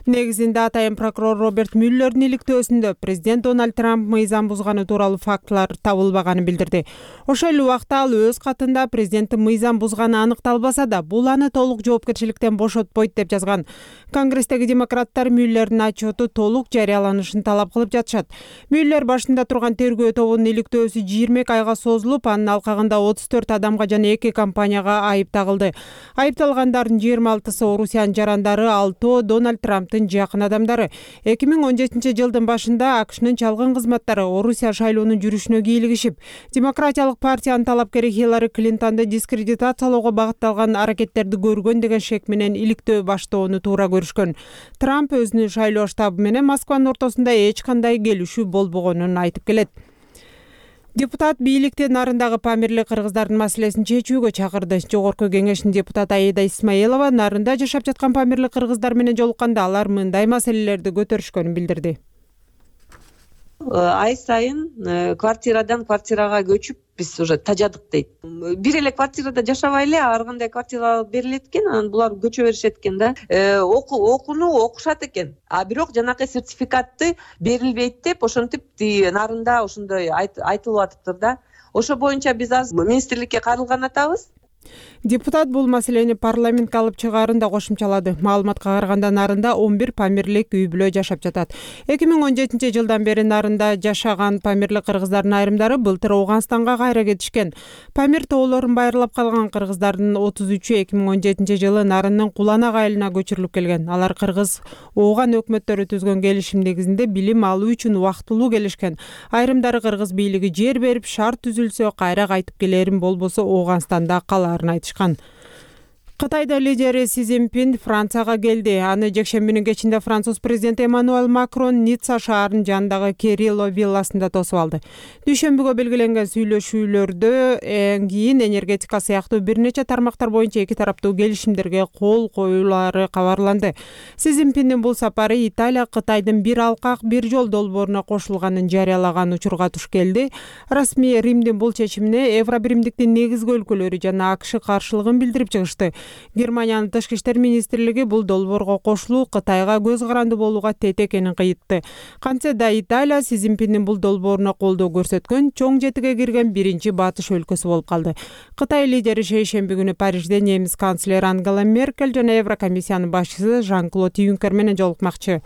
негизинде атайын прокурор Роберт Мюллердин иликтөөсүндө президент Дональд Трамп мыйзам бузганы тууралуу фактылар табылбаганын билдирди. Ошол эле убакта ал өз катында президенттин мыйзам бузганы аныкталбаса да, бул аны толук жоопкерчиликтен бошотпойт деп жазган. Конгресстеги демократтар Мюллердин отчету толук жарыяланышын талап кылып жатышат. Мюллер башында турган тергөө тобунун иликтөөсү жыйырма эки айга созулуп, анын алкагында отуз төрт адамга жана эки компанияга айып тагылды. Айыпталгандардын жыйырма алтысы Орусиянын жарандары, алтоо Дональд Трамптын жакын адамдары. эки миң он жетинчи жылдын башында АКШнын чалгын кызматтары Орусия шайлоонун жүрүшүнө кийлигишип, Демократиялык партиянын талапкери Хиллари Клинтонду дискредитациялоого багытталган аракеттерди көргөн деген шек менен иликтөө баштоону туура көрүшкөн. Трамп өзүнүн шайлоо штабы менен Москванын ортосунда эч кандай келишүү болбогонун айтып келет. Депутат бийликти нарындагы памирлик кыргыздардын маселесин чечүүгө чакырды. Жогорку кеңештин депутаты Аида Исмаилова нарында жашап жаткан памирлик кыргыздар менен жолукканда алар мындай маселелерди көтөрүшкөнүн билдирди. Ай сайын квартирадан квартирага көчүп биз уже тажадык дейт. Бир эле квартирада жашабай эле ар кандай квартира берилет экен, анан булар көчө беришет экен да. Окууну окушат экен. А бирок жанакы сертификатты берилбейт деп ошентип нарында ошондой айтылып атыптыр да. Ошо боюнча биз азыр министрликке кайрылган атабыз. Депутат бул маселени парламентке алып чыгаарын да кошумчалады. Маалыматка караганда нарында он бир памирлик үй бүлө жашап жатат. эки миң он жетинчи жылдан бери нарында жашаган памирлик кыргыздардын айрымдары былтыр Ооганстанга кайра кетишкен. Памир тоолорун байырлап калган кыргыздардын отуз үчү эки миң он жетинчи жылы нарынын Куланак айылына көчүрүлүп келген. Алар кыргыз Ооган өкмөттөрү түзгөн келишим негизинде билим алуу үчүн убактылуу келишкен. Айрымдары кыргыз бийлиги жер берип, шарт түзүлсө кайра кайтып келерин, болбосо Ооганстанда калаарын айтышкан. Кытайда лидери Си Цзиньпин Францияга келди. Аны жекшембинин кечинде Француз президенти Эммануэль Макрон Ницца шаарынын жанындагы Керило вилласында тосуп алды. Дүйшөмбүгө белгиленген сүйлөшүүлөрдө эң кийин энергетика сыяктуу бир нече тармактар боюнча эки тараптуу келишимдерге кол коюлары кабарланды. Си Цзиньпиндин бул сапары Италия Кытайдын бир алкак бир жол долбооруна кошулганын жарыялаган учурга туш келди. Расмий Римдин бул чечимине Евробиримдиктин негизги өлкөлөрү жана АКШ каршылыгын билдирип чыгышты. Германиянын тышкы иштер министрлиги бул долбоорго кошулуу Кытайга көз каранды болууга тет экенин кыйтты. Кантсе да Италия Си Цзиньпиндин бул долбооруна колдоо көрсөткөн чоң жетиге кирген биринчи батыш өлкөсү болуп калды. Кытай лидери шейшемби күнү Парижде немис канцлери Ангела Меркель жана Еврокомиссиянын башчысы Жан-Клод Юнкер менен жолукмакчы.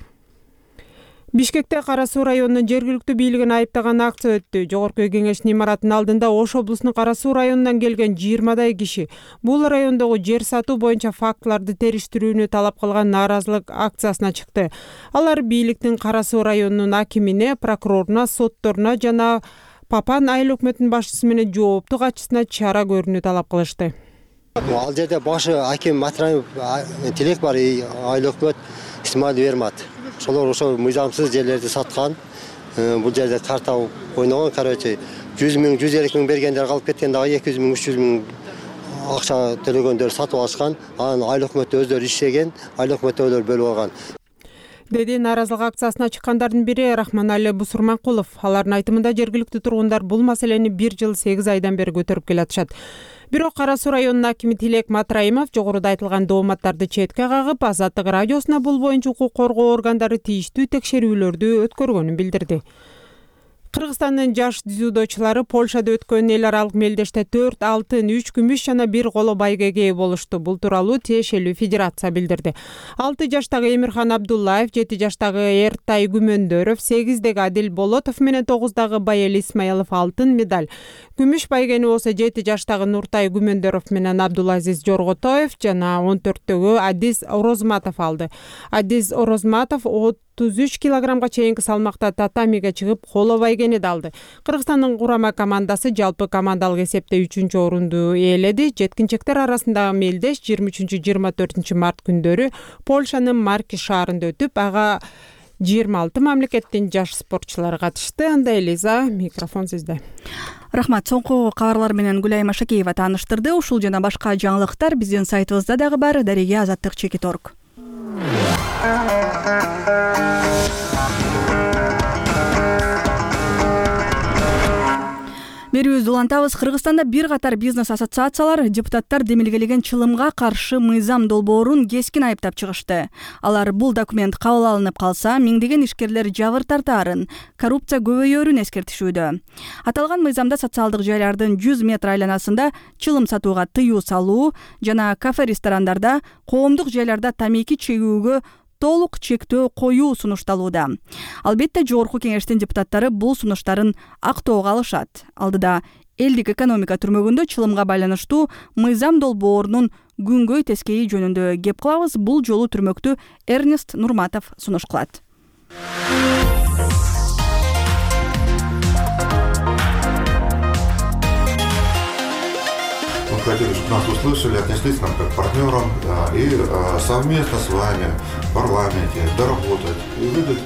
Бишкекте Кара Суу районунун жергиликтүү бийлигин айыптаган акция өттү. Жогорку кеңештин имаратынын алдында Ош облусунун Кара Суу районунан келген жыйырмадай киши бул райондогу жер сатуу боюнча фактыларды териштирүүнү талап кылган нааразылык акциясына чыкты. Алар бийликтин Кара Суу районунун акимине, прокуроруна, сотторуна жана Папан айыл өкмөтүнүн башчысы менен жоопту катчысына чара көрүүнү талап кылышты. Ал жерде башы аким Матраев тилек бар, айыл өкмөт Исмаил Вермат. Шолор ошо мыйзамсыз жерлерди саткан. Бул жерде карта ойногон, короче, жүз миң, жүз элүү миң бергендер калып кеткен, дагы эки жүз миң, үч жүз миң акча төлөгөндөр сатып алышкан. Анан айыл өкмөтү өздөрү иштеген, айыл өкмөттөлөр бөлүп алган. Деди нааразылык акциясына чыккандардын бири Рахманали Бусурманкулов. Алардын айтымында жергиликтүү тургундар бул маселени бир жыл сегиз айдан бери көтөрүп келатышат. Бирок Кара Суу районунун акими Тилек Матраимов жогоруда айтылган дооматтарды четке кагып, Азаттык радиосуна бул боюнча укук коргоо органдары тийиштүү текшерүүлөрдү өткөргөнүн билдирди. Кыргызстандын жаш дзюдочулары Польшада өткөн эл аралык мелдеште төрт алтын, үч күмүш жана бир коло байгеге ээ болушту. Бул тууралуу тиешелүү федерация билдирди. алты жаштагы Эмирхан Абдуллаев, жети жаштагы Эртай Күмөндөров, сегиздеги Адил Болотов менен тогуздагы Байел Исмаилов алтын медаль. Күмүш байгени болсо жети жаштагы Нуртай Күмөндөров менен Абдулазиз Жорготоев жана он төрттөгү Адис Орозматов алды. Адис Орозматов отуз үч килограммга чейинки салмакта татамиге чыгып, коло байгени алды. Кыргызстандын курама командасы жалпы командалык эсепте үчүнчү орунду ээледи. Жеткинчектер арасындагы мелдеш жыйырма үчүнчү жыйырма төртүнчү март күндөрү Польшанын Марки шаарында өтүп, ага жыйырма алты мамлекеттин жаш спортчулары катышты. Анда Элиза, микрофон сизде. Рахмат. Соңку кабарлар менен Гүлайым Ашакеева тааныштырды. Ушул жана башка жаңылыктар биздин сайтыбызда дагы бар. Дареге азаттык чекит точка орг. Берүүбүздү улантабыз. Кыргызстанда бир катар бизнес ассоциациялар депутаттар демилгелеген чылымга каршы мыйзам долбоорун кескин айыптап чыгышты. Алар бул документ кабыл алынып калса, миңдеген ишкерлер жабыр тартаарын, коррупция көбөйөөрүн эскертишүүдө. Аталган мыйзамда социалдык жайлардын жүз метр айланасында чылым сатууга тыюу салуу жана кафе-ресторандарда, коомдук жайларда тамеки чегүүгө толук чектөө коюу сунушталууда. Албетте жогорку кеңештин депутаттары бул сунуштарын актоого алышат. Алдыда элдик экономика түрмөгүндө чылымга байланыштуу мыйзам долбоорунун күнгөй тескейи жөнүндө кеп кылабыз. Бул жолу түрмөктү Эрнест Нурматов сунуш кылат. Хотели, чтобы нас услышали, отнеслись к нам как к партнерам, да, и э, совместно с вами в парламенте доработать и выдать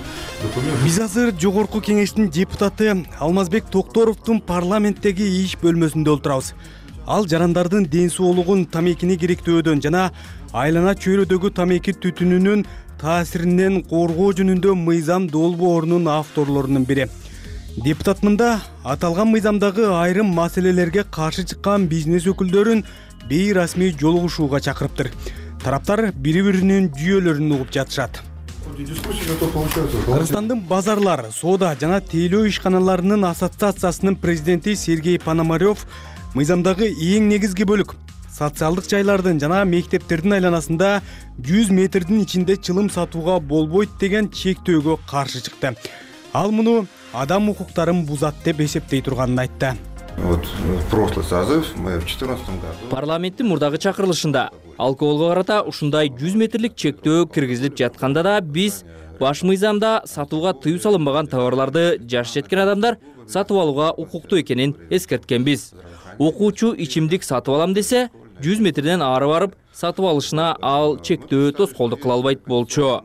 документы. Биз азыр жогорку кеңештин депутаты Алмазбек Токторовдун парламенттеги иш бөлмөсүндө отурабыз. Ал жарандардын ден соолугун тамекини керектөөдөн жана айлана чөйрөдөгү тамеки түтүнүнүн таасиринен коргоо жөнүндө мыйзам долбоорунун авторлорунун бири. Депутат мында аталган мыйзамдагы айрым маселелерге каршы чыккан бизнес өкүлдөрүн бейрасмий жолугушууга чакырыптыр. Тараптар бири-биринин жүйөлөрүн угуп жатышат. Кыргызстандын базарлар, соода жана тейлөө ишканаларынын ассоциациясынын президенти Сергей Пономарев мыйзамдагы эң негизги бөлүк социалдык жайлардын жана мектептердин айланасында жүз метрдин ичинде чылым сатууга болбойт деген чектөөгө каршы чыкты. Ал муну адам укуктарын бузат деп эсептей турганын айтты. Вот прошлый созыв мы в четырнадцатом году парламенттин мурдагы чакырылышында алкоголго карата ушундай жүз метрлик чектөө киргизилип жатканда да биз баш мыйзамда сатууга тыюу салынбаган товарларды жаш жеткен адамдар сатып алууга укуктуу экенин эскерткенбиз. Окуучу ичимдик сатып алам десе, жүз метрден ары барып сатып алышына ал чектөө тоскоолдук кыла албайт болчу.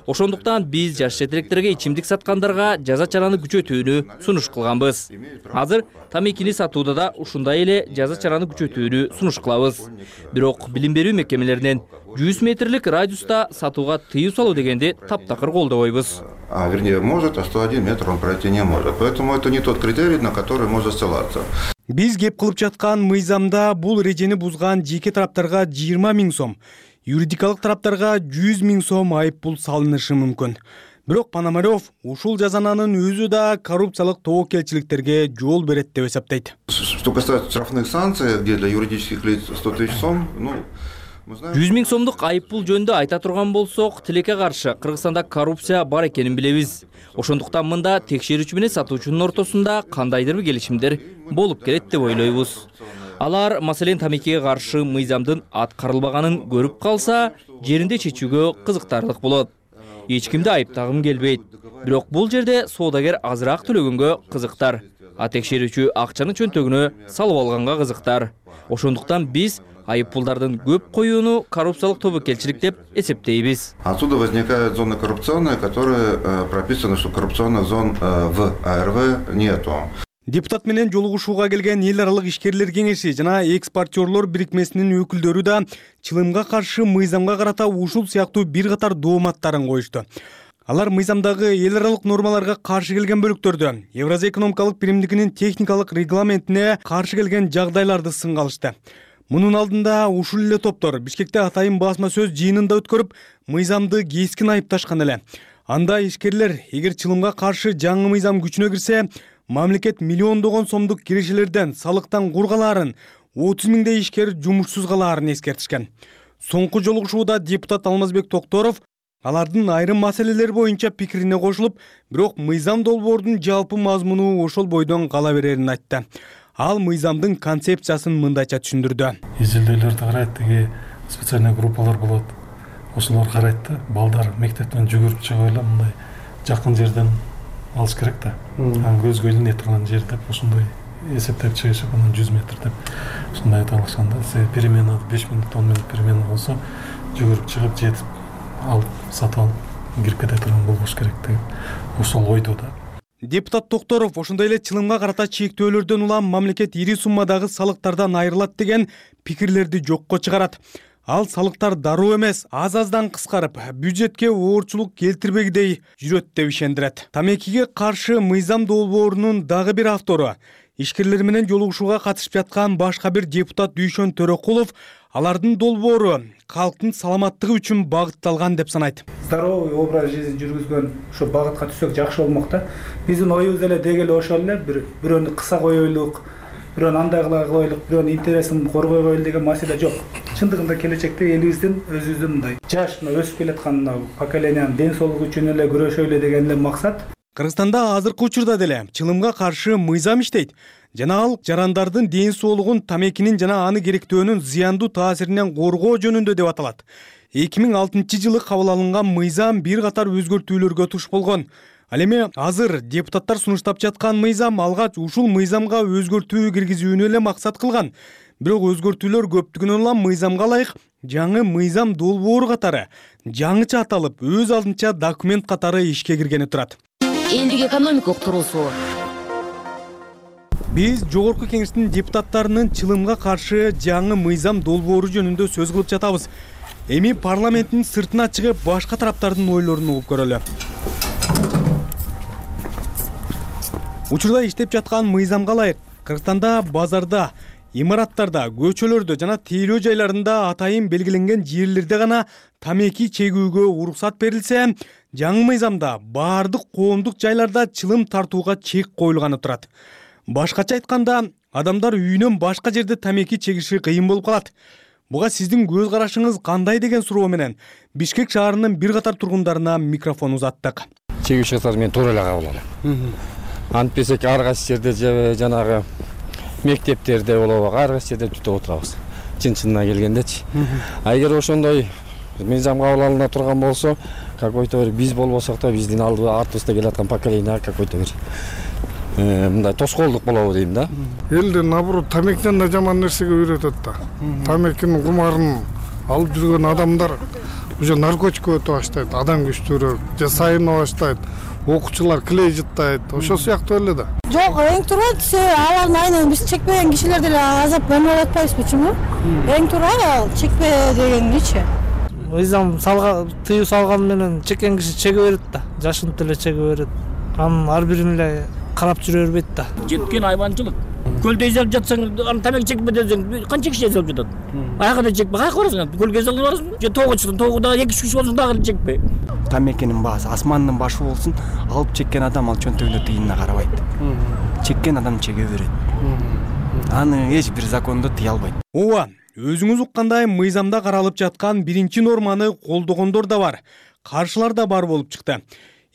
Ошондуктан биз жаш жетелектерге ичимдик саткандарга жаза чараны күчөтүүнү сунуш кылганбыз. Азыр тамекини сатууда да ушундай эле жаза чараны күчөтүүнү сунуш кылабыз. Бирок билим берүү мекемелеринен жүз метрлик радиуста сатууга тыюу салуу дегенди таптакыр колдобойбуз. А вернее может, а сто один метр он пройти не может. Поэтому это не тот критерий, на который можно ссылаться. Биз кеп кылып жаткан мыйзамда бул эрежени бузган жеке тараптарга жыйырма миң сом, юридикалык тараптарга жүз миң сом айып пул салынышы мүмкүн. Бирок Пономарев ушул жазананын өзү да коррупциялык тобокелчиликтерге жол берет деп эсептейт. Что касается штрафных санкций, где для юридических лиц сто тысяч сом, ну жүз миң сомдук айып пул жөнүндө айта турган болсок, тилекке каршы Кыргызстанда коррупция бар экенин билебиз. Ошондуктан мында текшерүүчү менен сатуучунун ортосунда кандайдыр бир келишимдер болуп келет деп ойлойбуз. Алар маселен тамекиге каршы мыйзамдын аткарылбаганын көрүп калса, жеринде чечүүгө кызыктарлык болот. Эч кимди айыптагым келбейт. Бирок бул жерде соодагер азыраак төлөгөнгө кызыктар, а текшерүүчү акчаны чөнтөгүнө салып алганга кызыктар. Ошондуктан биз айып пулдардын көп коюуну коррупциялык тобокелчилик деп эсептейбиз. Отсюда возникает зона коррупционная, которая прописана, что коррупционных зон в А Р В нету. Депутат менен жолугушууга келген эл аралык ишкерлер кеңеши жана экспортерлор бирикмесинин өкүлдөрү да чылымга каршы мыйзамга карата ушул сыяктуу бир катар дооматтарын коюшту. Алар мыйзамдагы эл аралык нормаларга каршы келген бөлүктөрдө Евразия экономикалык биримдигинин техникалык регламентине каршы келген жагдайларды сынга алышты. Мунун алдында ушул эле топтор Бишкекте атайын басма сөз жыйынында өткөрүп, мыйзамды кескин айыпташкан эле. Анда ишкерлер эгер чылымга каршы жаңы мыйзам күчүнө кирсе, мамлекет миллиондогон сомдук кирешелерден салыктан кур калаарын, отуз миңдей ишкер жумушсуз калаарын эскертишкен. Соңку жолугушууда депутат Алмазбек Токторов алардын айрым маселелер боюнча пикирине кошулуп, бирок мыйзам долбоордун жалпы мазмуну ошол бойдон кала берерин айтты. Ал мыйзамдын концепциясын мындайча түшүндүрдү. Изилдөөлөрдү карайт, деги специальный группалар болот. Ошолор карайт да, балдар мектептен жүгүрүп чыгып эле мындай жакын жерден алыш керек да. Көзгө илине турган жер деп ошондой эсептеп чыгышып, анан жүз метр деп ушундай айта алышканда, перемена беш мүнөт он мүнөт перемена болсо, жүгүрүп чыгып жетип алып сатып алып кирип кете турган болбош керек деп ошол ойдо да. Депутат Токторов ошондой эле чылымга карата чектөөлөрдөн улам мамлекет ири суммадагы салыктардан айрылат деген пикирлерди жокко чыгарат. Ал салыктар дароо эмес, аз-аздан кыскарып, бюджетке оорчулук келтирбегидей жүрөт деп ишендирет. Тамекиге каршы мыйзам долбоорунун дагы бир автору, ишкерлер менен жолугушууга катышып жаткан башка бир депутат Дүйшөн Төрөкулов алардын долбоору калктын саламаттыгы үчүн багытталган деп санайт. Здоровый образ жизни жүргүзгөн ушу багытка түшсөк жакшы болмок да. Биздин оюбуз эле деги эле ошол эле, бир бирөөнү кыса коелук, бирөөнү андай кыла коелук, бирөөнүн интересин коргой коелук деген маселе жок. Чындыгында келечекте элибиздин өзүбүздүн мындай жаш өсүп келаткан поколениянын ден соолугу үчүн эле күрөшөлү деген эле максат. Кыргызстанда азыркы учурда деле чылымга каршы мыйзам иштейт. Жана ал жарандардын ден соолугун тамекинин жана аны керектөөнүн зыяндуу таасиринен коргоо жөнүндө деп аталат. эки миң алтынчы жылы кабыл алынган мыйзам бир катар өзгөртүүлөргө туш болгон. Ал эми азыр депутаттар сунуштап жаткан мыйзам алгач ушул мыйзамга өзгөртүү киргизүүнү эле максат кылган. Бирок өзгөртүүлөр көптүгүнөн улам мыйзамга ылайык жаңы мыйзам долбоору катары жаңыча аталып, өз алдынча документ катары ишке киргени турат. Элдик экономикалык тургусу. Биз жогорку кеңештин депутаттарынын чылымга каршы жаңы мыйзам долбоору жөнүндө сөз кылып жатабыз. Эми парламенттин сыртына чыгып башка тараптардын ойлорун угуп көрөлү. Учурда иштеп жаткан мыйзамга ылайык Кыргызстанда базарда, имараттарда, көчөлөрдө жана тейлөө жайларында атайын белгиленген жерлерде гана тамеки чегүүгө уруксат берилсе, жаңы мыйзамда баардык коомдук жайларда чылым тартууга чек коюлганы турат. Башкача айтканда, адамдар үйүнөн башка жерде тамеки чегиши кыйын болуп калат. Буга сиздин көз карашыңыз кандай деген суроо менен Бишкек шаарынын бир катар тургундарына микрофон узаттык. Чегүүчүлөр мен туура эле кабыл алам. Антпесек ар кайсы жерде жанагы мектептерде болобу, ар кайсы жерде түтүп отурабыз. Чын-чынына келгендечи. А эгер ошондой мыйзам кабыл алына турган болсо, какой-то бир биз болбосок да биздин алды артыбызда келаткан поколение какой-то бир мындай тоскоолдук болобу дейм да. Элди наоборот тамекиден да жаман нерсеге үйрөтөт да. Тамекинин кумарын алып жүргөн адамдар уже наркотикке өтө баштайт, адам күчтүүрөөк, же сайына баштайт, окуучулар клей жыттайт, ошол сыяктуу эле да. Жок, эң туура алардын айынан биз чекпеген кишилер деле азап эмнелеп атпайбызбы, почему? Эң туура чекпе дегеничи. Мыйзам салга тыюу салган менен чеккен киши чеге берет да, жашынып деле чеге берет. Анын ар бирин эле карап жүрө бербейт да. Жеткен айванчылык. Көлдө эзелип жатсаң, аны тамек чекпе десең, канча киши эзелип жатат? Аяка да чекпе, каяка барасың? Көлгө эзелип барасың? Же тоого чыктың, тоого дагы эки үч киши болсун дагы чекпе. Тамекинин баасы асмандын башы болсун, алып чеккен адам ал чөнтөгүнө тыйынына карабайт. Чеккен адам чеге берет. Аны эч бир закондо тыя албайт. Ооба, өзүңүз уккандай мыйзамда каралып жаткан биринчи норманы колдогондор да бар, каршылар да бар болуп чыкты.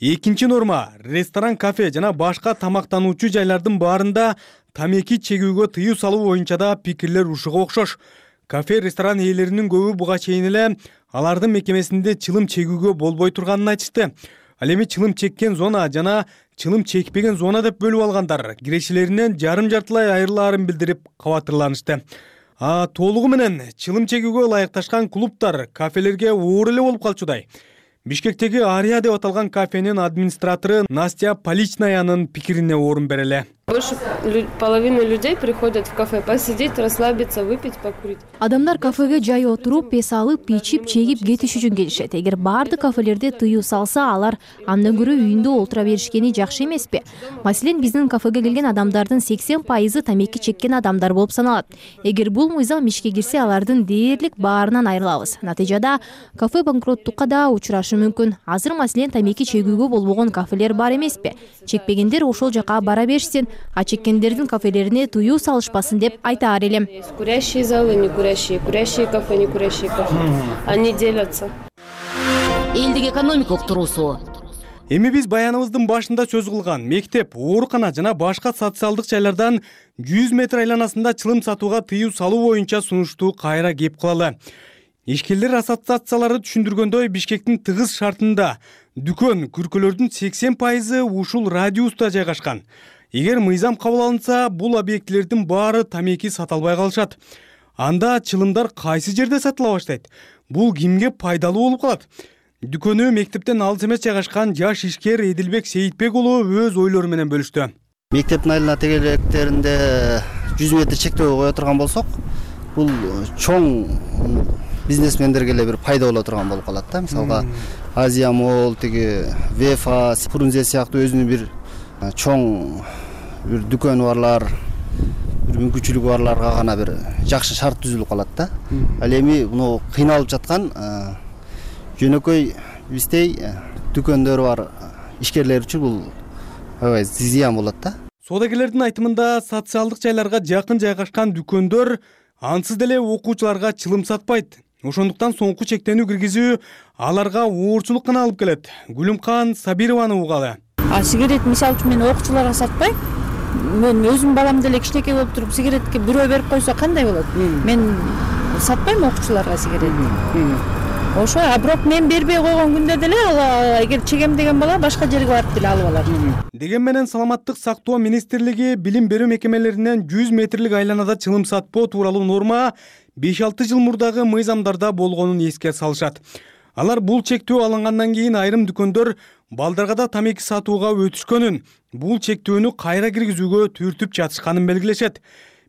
Экинчи норма ресторан, кафе жана башка тамактануучу жайлардын баарында тамеки чегүүгө тыюу салуу боюнча да пикирлер ушуга окшош. Кафе, ресторан ээлеринин көбү буга чейин эле алардын мекемесинде чылым чегүүгө болбой турганын айтышты. Ал эми чылым чеккен зона жана чылым чекпеген зона деп бөлүп алгандар кирешелеринен жарым-жартылай айрылаарын билдирип кабатырланышты. А толугу менен чылым чегүүгө ылайыкташкан клубтар, кафелерге оор эле болуп калчудай. Бишкектеги Ария деп аталган кафенин администратору Настя Поличнаянын пикирине орун береле. Больше половины людей приходят в кафе посидеть, расслабиться, выпить, покурить. Адамдар кафеге жай отуруп, пес алып, ичип, чегип кетиш үчүн келишет. Эгер баардык кафелерде тыюу салса, алар андан көрө үйүндө олтура беришкени жакшы эмеспи? Маселен, биздин кафеге келген адамдардын сексен пайызы тамеки чеккен адамдар болуп саналат. Эгер бул мыйзам ишке кирсе, алардын дээрлик баарынан айрылабыз. Натыйжада кафе банкроттукка да учурашы мүмкүн. Азыр маселен тамеки чегүүгө болбогон кафелер бар эмеспи? Чекпегендер ошол жака бара беришсин. А чеккендердин кафелерине тыюу салышпасын деп айтаар элем. Курящие залы, не курящие, курящие кафе, не курящие кафе. Они делятся. Элдик экономика уктуруусу. Эми биз баяныбыздын башында сөз кылган мектеп, оорукана жана башка социалдык жайлардан жүз метр айланасында чылым сатууга тыюу салуу боюнча сунушту кайра кеп кылалы. Ишкерлер ассоциациялары түшүндүргөндөй, Бишкектин тыгыз шартында дүкөн, күркөлөрдүн сексен пайызы ушул радиуста жайгашкан. Эгер мыйзам кабыл алынса, бул объектилердин баары тамеки сата албай калышат. Анда чылымдар кайсы жерде сатыла баштайт? Бул кимге пайдалуу болуп калат? Дүкөнү мектептен алыс эмес жайгашкан жаш ишкер Эдилбек Сейитбек уулу өз ойлору менен бөлүштү. Мектептин айлана тегелектеринде жүз метр чектөө кое турган болсок, бул чоң бизнесмендерге эле бир пайда боло турган болуп калат да. Мисалга Азия Мол, тиги Вефа, Фрунзе сыяктуу өзүнүн бир чоң бир дүкөнү барлар, бир мүмкүнчүлүгү барларга гана бир жакшы шарт түзүлүп калат да. Ал эми муну кыйналып жаткан жөнөкөй биздей дүкөндөр бар ишкерлер үчүн бул аябай зыян болот да. Соодагерлердин айтымында социалдык жайларга жакын жайгашкан дүкөндөр ансыз деле окуучуларга чылым сатпайт. Ошондуктан соңку чектенүү киргизүү аларга оорчулук гана алып келет. Гүлүмкан Сабированы угалы. А сигарет мисалы үчүн мен окуучуларга сатпайм. Мен өзүм балам деле кичинекей болуп туруп сигаретке бирөө берип койсо кандай болот? Мен сатпайм окуучуларга сигарет. Ошо, а бирок мен бербей койгон күндө деле эгер чегем деген бала башка жерге барып деле алып алат. Деген менен Саламаттык сактоо министрлиги билим берүү мекемелеринен жүз метрлик айланада чылым сатпоо тууралуу норма беш алты жыл мурдагы мыйзамдарда болгонун эске салышат. Алар бул чектөө алынгандан кийин айрым дүкөндөр балдарга да тамеки сатууга өтүшкөнүн, бул чектөөнү кайра киргизүүгө түртүп жатышканын белгилешет.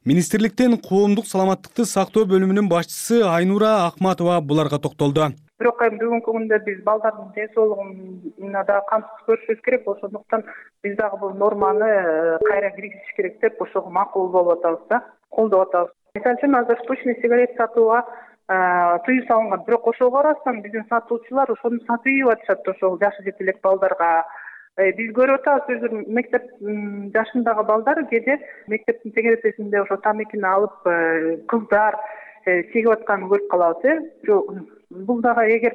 Министрликтен коомдук саламаттыкты сактоо бөлүмүнүн башчысы Айнура Акматова буларга токтолду. Бирок эми бүгүнкү күндө биз балдардын ден соолугуна да камсыз көрүшүбүз керек, ошондуктан биз дагы бул норманы кайра киргизиш керек деп ошого макул болуп атабыз да, колдоп атабыз. Мисалы үчүн азыр штучный сигарет сатууга тыюу салынган, бирок ошого карабастан биздин сатуучулар ошону сатып атышат ошол жашы жете элек балдарга. Биз көрүп атабыз, өзү мектеп жашындагы балдар кээде мектептин тегересинде ошо тамекини алып кыздар чегип атканын көрүп калабыз э бул дагы эгер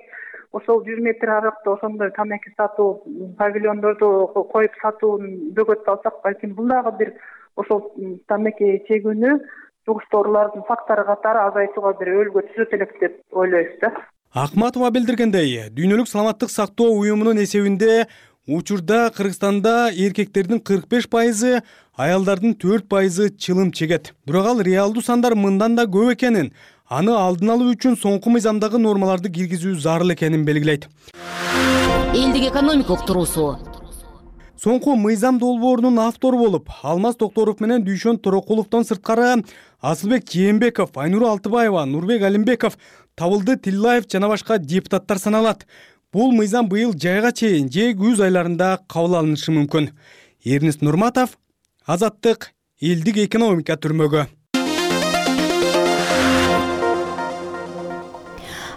ошол жүз метр аракта ошондой тамеки сатуу павильондорду коюп сатууну бөгөтүп алсак, балким бул дагы бир ошол тамеки чегүүнү жугуштоолордун фактору катары азайтууга бир өөлгө түзөт элек деп ойлойбуз да. Акматова билдиргендей, Дүйнөлүк саламаттык сактоо уюмунун эсебинде учурда Кыргызстанда эркектердин кырк беш пайызы, аялдардын төрт пайызы чылым чегет. Бирок ал реалдуу сандар мындан да көп экенин, аны алдын алуу үчүн соңку мыйзамдагы нормаларды киргизүү зарыл экенин белгилейт. Элдик экономика уктуруусу. Соңку мыйзам долбоорунун автору болуп, Алмаз Токторов менен Дүйшөн Торокуловдон сырткары Асылбек Жээнбеков, Айнура Алтыбаева, Нурбек Алимбеков, Табылды Тиллаев жана башка депутаттар саналат. Бул мыйзам быйыл жайга чейин же күз айларында кабыл алынышы мүмкүн. Эрнест Нурматов, Азаттык, элдик экономика түрмөгү.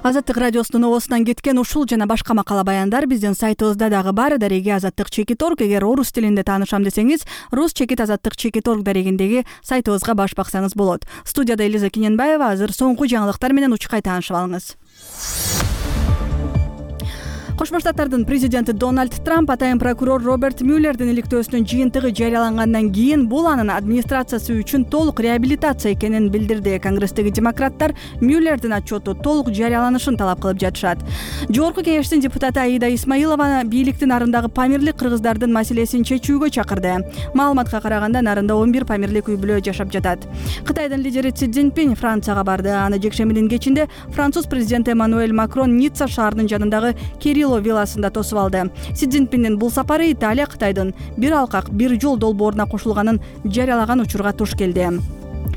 Азаттык радиосунун обосунан кеткен ушул жана башка макала баяндар биздин сайтыбызда дагы бар. Дареги Азаттык чекит орг. Эгер орус тилинде таанышам десеңиз, рус чекит азаттык чекит орг дарегиндеги сайтыбызга баш баксаңыз болот. Студияда Элиза Кененбаева. Азыр соңку жаңылыктар менен учкай таанышып алыңыз. Кошмо Штаттардын президенти Дональд Трамп атайын прокурор Роберт Мюллердин иликтөөсүнүн жыйынтыгы жарыялангандан кийин бул анын администрациясы үчүн толук реабилитация экенин билдирди. Конгресстеги демократтар Мюллердин отчету толук жарыяланышын талап кылып жатышат. Жогорку кеңештин депутаты Аида Исмаилова бийликтин нарындагы памирлик кыргыздардын маселесин чечүүгө чакырды. Маалыматка караганда нарында он бир памирлик үй бүлө жашап жатат. Кытайдын лидери Си Цзиньпин Францияга барды. Аны жекшембинин кечинде француз президенти Эммануэль Макрон Ницца шаарынын жанындагы Кирилло вилласында тосуп алды. Си Цзиньпиндин бул сапары Италия Кытайдын бир алкак бир жол долбооруна кошулганын жарыялаган учурга туш келди.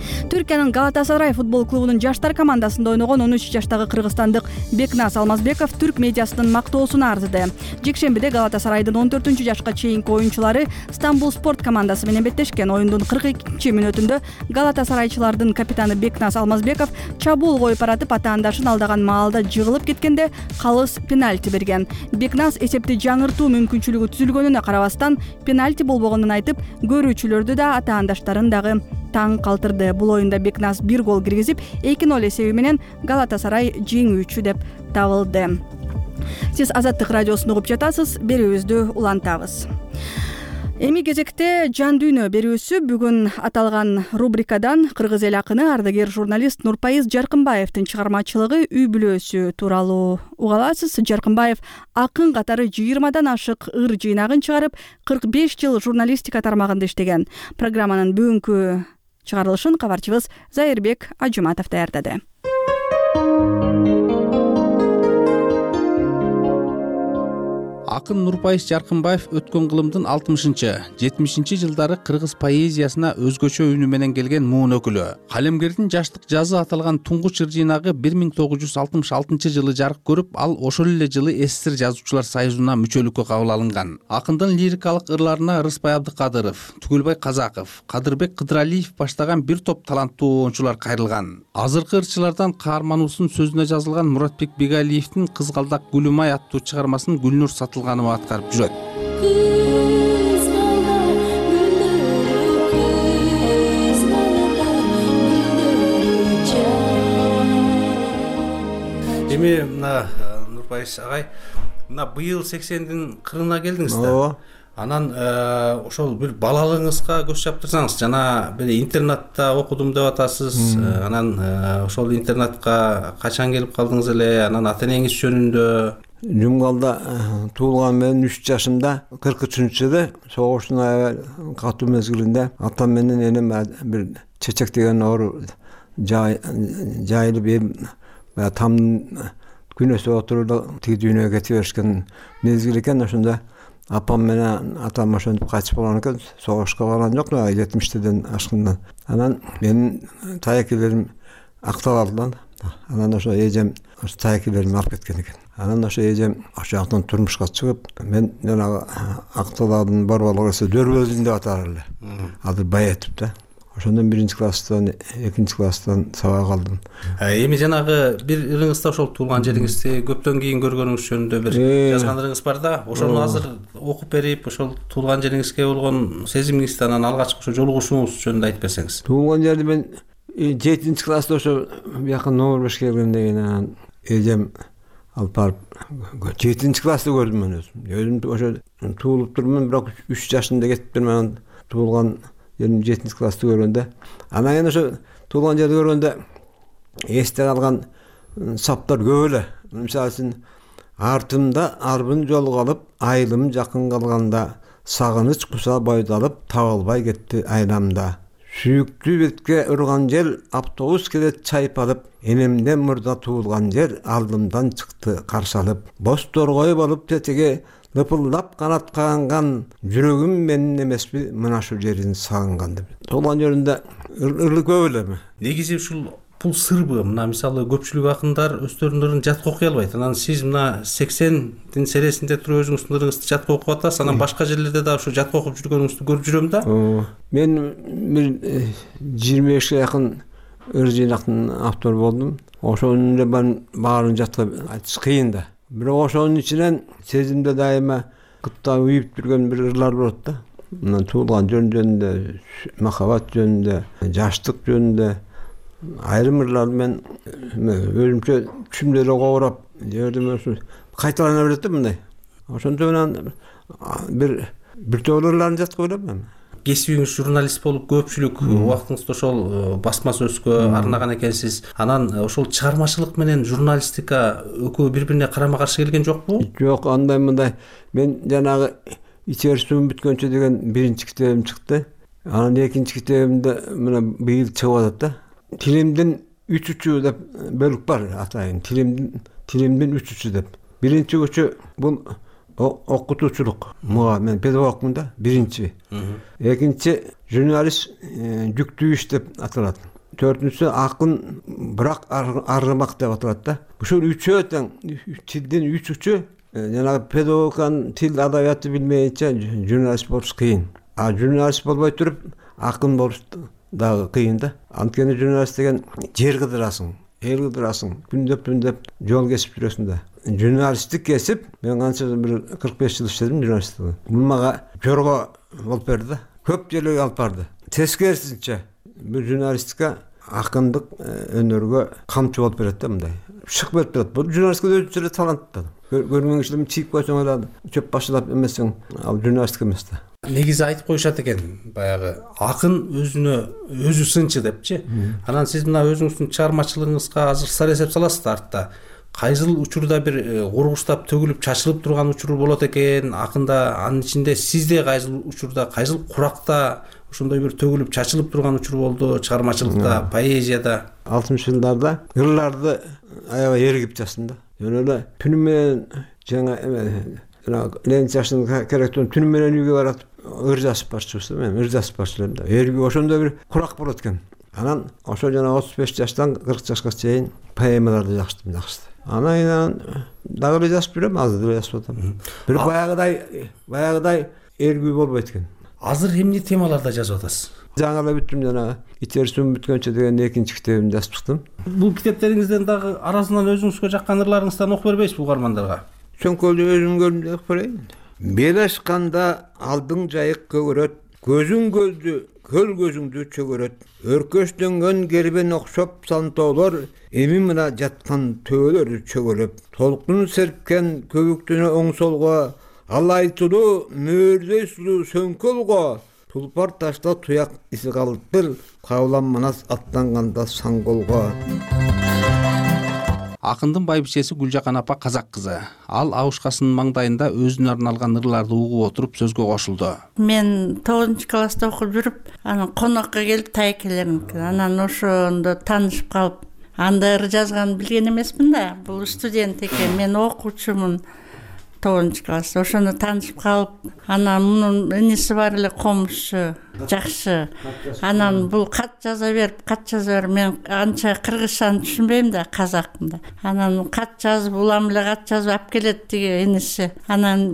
Түркиянын Галатасарай футбол клубунун жаштар командасында ойногон он үч жаштагы кыргызстандык Бекназ Алмазбеков түрк медиасынын мактоосуна арзыды. Жекшембиде Галатасарайдын он төртүнчү жашка чейинки оюнчулары Стамбул спорт командасы менен беттешкен. Оюндун кырк экинчи мүнөтүндө Галатасарайчылардын капитаны Бекназ Алмазбеков чабуул коюп баратып атаандашын алдаган маалда жыгылып кеткенде калыс пенальти берген. Бекназ эсепти жаңыртуу мүмкүнчүлүгү түзүлгөнүнө карабастан пенальти болбогонун айтып, көрүүчүлөрдү да атаандаштарын дагы таң калтырды. Бул оюнда Бекназ бир гол киргизип, эки ноль эсеби менен Галатасарай жеңүүчү деп табылды. Сиз Азаттык радиосун угуп жатасыз, берүүбүздү улантабыз. Эми кезекте Жан дүйнө берүүсү. Бүгүн аталган рубрикадан кыргыз эл акыны, ардагер журналист Нурпайыз Жаркынбаевдин чыгармачылыгы үй бүлөсү тууралуу уга аласыз. Жаркынбаев акын катары жыйырмадан ашык ыр жыйнагын чыгарып, кырк беш жыл журналистика тармагында иштеген. Программанын бүгүнкү чыгарылышын кабарчыбыз Зайырбек Ажуматов даярдады. Акын Нурпайыз Жаркынбаев өткөн кылымдын алтымышынчы, жетимишинчи жылдары кыргыз поэзиясына өзгөчө үнү менен келген муун өкүлү. Калемгердин жаштык жазы аталган туңгуч ыр жыйнагы бир миң тогуз жүз алтымыш алтынчы жылы жарык көрүп, ал ошол эле жылы СССР жазуучулар союзуна мүчөлүккө кабыл алынган. Акындын лирикалык ырларына Рыспай Абдыкадыров, Түгүлбай Казаков, Кадырбек Кыдыралиев баштаган бир топ таланттуу оюнчулар кайрылган. Азыркы ырчылардан каармануусунун сөзүнө жазылган Муратбек Бегалиевдин Кызгалдак Гүлүмай аттуу чыгармасын Гүлнур Сатылганова аткарып жүрөт. Эми мына Нурпайыз агай, мына быйыл сексендин кырына келдиңиз да. Анан ошол бир балалыгыңызга көз чаптырсаңыз, жана бир интернатта окудум деп атасыз. Анан ошол интернатка качан келип калдыңыз эле? Анан ата энеңиз жөнүндө? Жумгалда туулган мен үч жашымда кырк үчүнчү жылы согуштун аябай катуу мезгилинде атам менен энем бир чечек деген оору жайылып тамдын күнөсү отуруп тиги дүйнөгө кете беришкен мезгил экен. Ошондо апам менен атам ошентип кайтып болгон экен. Согушка барган жок, жетимиштеден ашкандан. Анан менин таякелерим акталып алды. Анан ошо эжем ошо таякелеримди алып кеткен экен. Анан ошо эжем ошол жактан турмушка чыгып, мен жанагы акталардын борборлугу эсе Дөрбөлдүн деп атар эле. Азыр Баетип да. Ошондон биринчи класстан, экинчи класстан сабак алдым. Эми жанагы бир ырыңызда ошол туулган жериңизди көптөн кийин көргөнүңүз жөнүндө бир жазгандарыңыз бар да. Ошону азыр окуп берип, ошол туулган жериңизге болгон сезимиңизди, анан алгачкы ошо жолугушууңуз жөнүндө айтып берсеңиз. Туулган жерди мен жетинчи класста ошо бияка номер беш келгенде кийин эжем алып барып жетинчи класста көрдүм мен өзүм. Өзүм ошо туулуп турмун, бирок үч жашында кетиптирмин. Туулган жерим жетинчи класста көргөндө. Анан кийин ошо туулган жерди көргөндө эсте калган саптар көп эле. Мисалы үчүн артымда арбын жол калып, айылым жакын калганда, сагыныч куса бойдалып, табылбай кетти айламда. Сүйүктүү бетке урган жел, автобус келет чайпалып, энемден мурда туулган жер алдымдан чыкты каршы алып. Бос торгой болуп тетеге лыпылдап канат каганган, жүрөгүм менин эмеспи мына ушул жерин сагынган деп. Туулган жеринде ырлы көп эле. Негизи ушул бул сырбы. Мына мисалы көпчүлүк акындар өздөрүнүн жатка окуй албайт. Анан сиз мына сексендин сересинде туруп өзүңүздүн ырыңызды жатка окуп атасыз. Анан башка жерлерде да ушу жатка окуп жүргөнүңүздү көрүп жүрөм да. Мен бир жыйырма бешке жакын ыр жыйнактын автору болдум. Ошонун эле баарын жатка айтыш кыйын да. Бирок ошонун ичинен сезимде дайыма кытта уюп жүргөн бир ырлар болот да. Мына туулган жөнүндө, махабат жөнүндө, жаштык жөнүндө айрым ырлар мен өзүмчө түшүмдө эле кобурап жердим ошо кайталана берет да мындай. Ошондо менен бир бир топ ырларын жатка ойлойм. Кесибиңиз журналист болуп көпчүлүк убактыңызды ошол басма сөзгө арнаган экенсиз. Анан ошол чыгармачылык менен журналистика экөө бири-бирине карама каршы келген жокпу? Жок, андай мындай. Мен жанагы ичер суум бүткөнчө деген биринчи китебим чыкты. Анан экинчи китебимде мына быйыл чыгып атат да. Тилимдин үч учу деп бөлүк бар атайын. Тилимдин тилимдин үч учу деп. Биринчи учу бул окутуучулук. Мага мен педагогмун да, биринчи. Экинчи журналист жүктүү иш деп аталат. Төртүнчүсү акын бирок аргымак деп аталат да. Ушул үчөө тең тилдин үч учу жанагы педагогиканын тил адабиятты билмейинче журналист болуш кыйын. А журналист болбой туруп акын болуш дагы кыйын да. Анткени журналист деген жер кыдырасың, эл кыдырасың, күндөп күндөп жол кесип жүрөсүң да. Журналисттик кесип, мен канча бир кырк беш жыл иштедим журналисттикте. Бул мага жорго болуп берди да. Көп жерлерге алып барды. Тескерисинче бул журналистика акындык өнөргө камчы болуп берет да мындай. Шык берип турат. Бул журналистика өзүнчө эле талант да. Көрмөң кишилер чийип койсоң эле чөп башылап эмесең, ал журналистика эмес да. Негизи айтып коюшат экен, баягы акын өзүнө өзү сынчы депчи. Анан сиз мына өзүңүздүн чыгармачылыгыңызга азыр сар эсеп саласыз да артта. Кайсыл учурда бир кургуштап төгүлүп чачылып турган учур болот экен, акында анын ичинде сизде кайсыл учурда, кайсыл куракта ошондой бир төгүлүп чачылып турган учур болду чыгармачылыкта, поэзияда? алтымыш жылдарда ырларды аябай эргип жаздым да. Жөн эле түнү менен жаңа Ленин жашын керектен түнү менен үйгө барат ыр жазып барчыбыз. Мен ыр жазып барчылам да. Эрги ошондой бир курак болот экен. Анан ошо жана отуз беш жаштан кырк жашка чейин поэмаларды жаздым, жакшы. Анан дагы эле жазып жүрөм, азыр эле жазып атам. Бир баягыдай, баягыдай эргүү болбойт экен. Азыр эмне темаларда жазып атасыз? Жаңы эле бүттүм жанагы ичер суум бүткөнчө деген экинчи китебимди жазып чыктым. Бул китептериңизден дагы арасынан өзүңүзгө жаккан ырларыңыздан окуп бербейсизби угармандарга? Чөңкөлдү өзүм көрдүм деп көрөйүн. Бел ачканда алдың жайык көгөрөт, көзүң көздү, көл көзүңдү чөгөрөт. Өркөчтөнгөн кербен окшоп сантоолор, эми мына жаткан төөлөр чөгөлөп. Толкун серпкен көбүктүнө оң солго, ал айтылуу мөөрдөй сулуу сөңкөлго. Тулпар ташта туяк иси калыптыр, кабылам манас аттанганда саңголго. Акындын байбичеси Гүлжакан апа казак кызы. Ал Аушкасынын маңдайында өзүнө арналган ырларды угуп отуруп сөзгө кошулду. Мен тогузунчу класста окуп жүрүп, анан конокко келип тайкелерим. Анан ошондо таанышып калып, анда ыр жазганын билген эмесмин да. Бул студент экен, мен окуучумун. тогузунчу класста ошону таанышып калып, анан мунун иниси бар эле комузчу, жакшы. Анан бул кат жаза бер, кат жаза бер. Мен анча кыргызчаны түшүнбөйм да, казакмын да. Анан кат жазып, улам эле кат жазып алып келет тиги иниси. Анан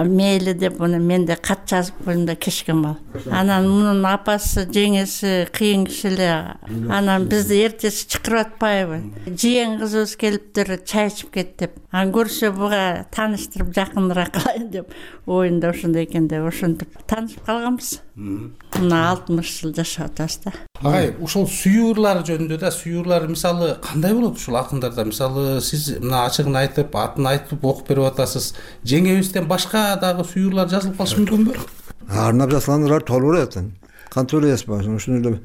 мейли деп уну мен да кат жазып койдум да кечкен бал. Анан мунун апасы, жеңеси кыйын киши эле. Анан бизди эртеси чакырып атпайбы? Жиен кызыбыз келиптир, чай ичип кет деп. Анан көрсө буга тааны тааныштырып жакыныраак кылайын деп оюнда ошондой экен деп ошентип таанышып калганбыз. Мына алтымыш жыл жашап атабыз да. Агай, ошол сүйүрлар жөнүндө да, сүйүрлар мисалы кандай болот ушул акындарда? Мисалы сиз мына ачыгын айтып, атын айтып окуп берип атасыз. Жеңебизден башка дагы сүйүрлар жазылып калышы мүмкүнбү? Арнап жазылгандар толук эле. Кантип эле ушуну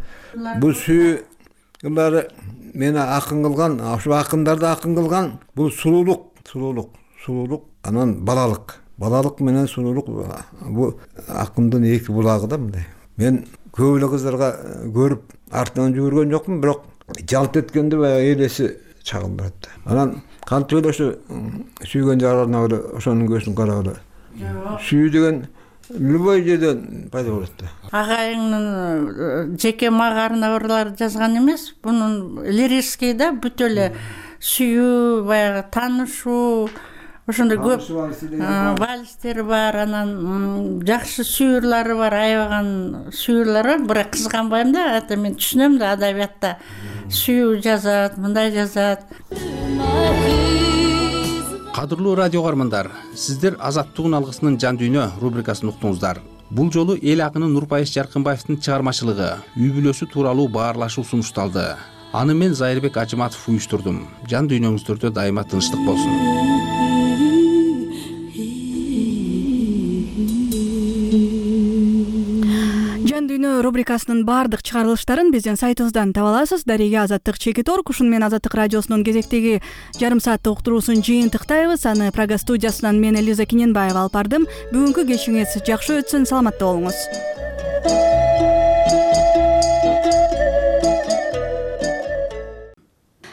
бул сүйүрлар мени акын кылган, ошо акындарды акын кылган бул сулуулук, сулуулук, сулуулук, анан балалык. Балалык менен сулуулук бул акындын эки булагы да мындай. Мен көп эле кыздарга көрүп артынан жүгүргөн жокмун, бирок жалт эткенде баягы элеси чагым барат. Анан кантип эле ошо сүйгөн жарына эле ошонун көзүн карап эле. Сүйүү деген любой жерден пайда болот да. Агайыңдын жеке мага жазган эмес, бунун лирический да бүт эле сүйүү, баягы таанышуу, ошондой көп вальстер бар, анан жакшы сүйүрлары бар, аябаган сүйүрлөр бар. Бирок кызганбайм да, ата мен түшүнөм да, адабиятта сүйүү жазат, мындай жазат. Кадырлуу радио каармандар, сиздер Азаттыгын алгысынын жан дүйнө рубрикасын уктуңуздар. Бул жолу эл акыны Нурпайыш Жаркынбаевдин чыгармачылыгы, үй бүлөсү тууралуу баарлашуу сунушталды. Аны мен Зайырбек Ажыматов уюштурдум. Жан дүйнөңүздөрдө дайыма тынчтык болсун. Рубрикасынын баардык чыгарылыштарын биздин сайтыбыздан таба аласыз. Дарега Азаттык чекит орг. Ушуну менен Азаттык радиосунун кезектеги жарым сааттык уктуруусун жыйынтыктайбыз. Аны Прага студиясынан мен Элиза Кененбаева алып бардым. Бүгүнкү кечиңиз жакшы өтсүн, саламатта болуңуз.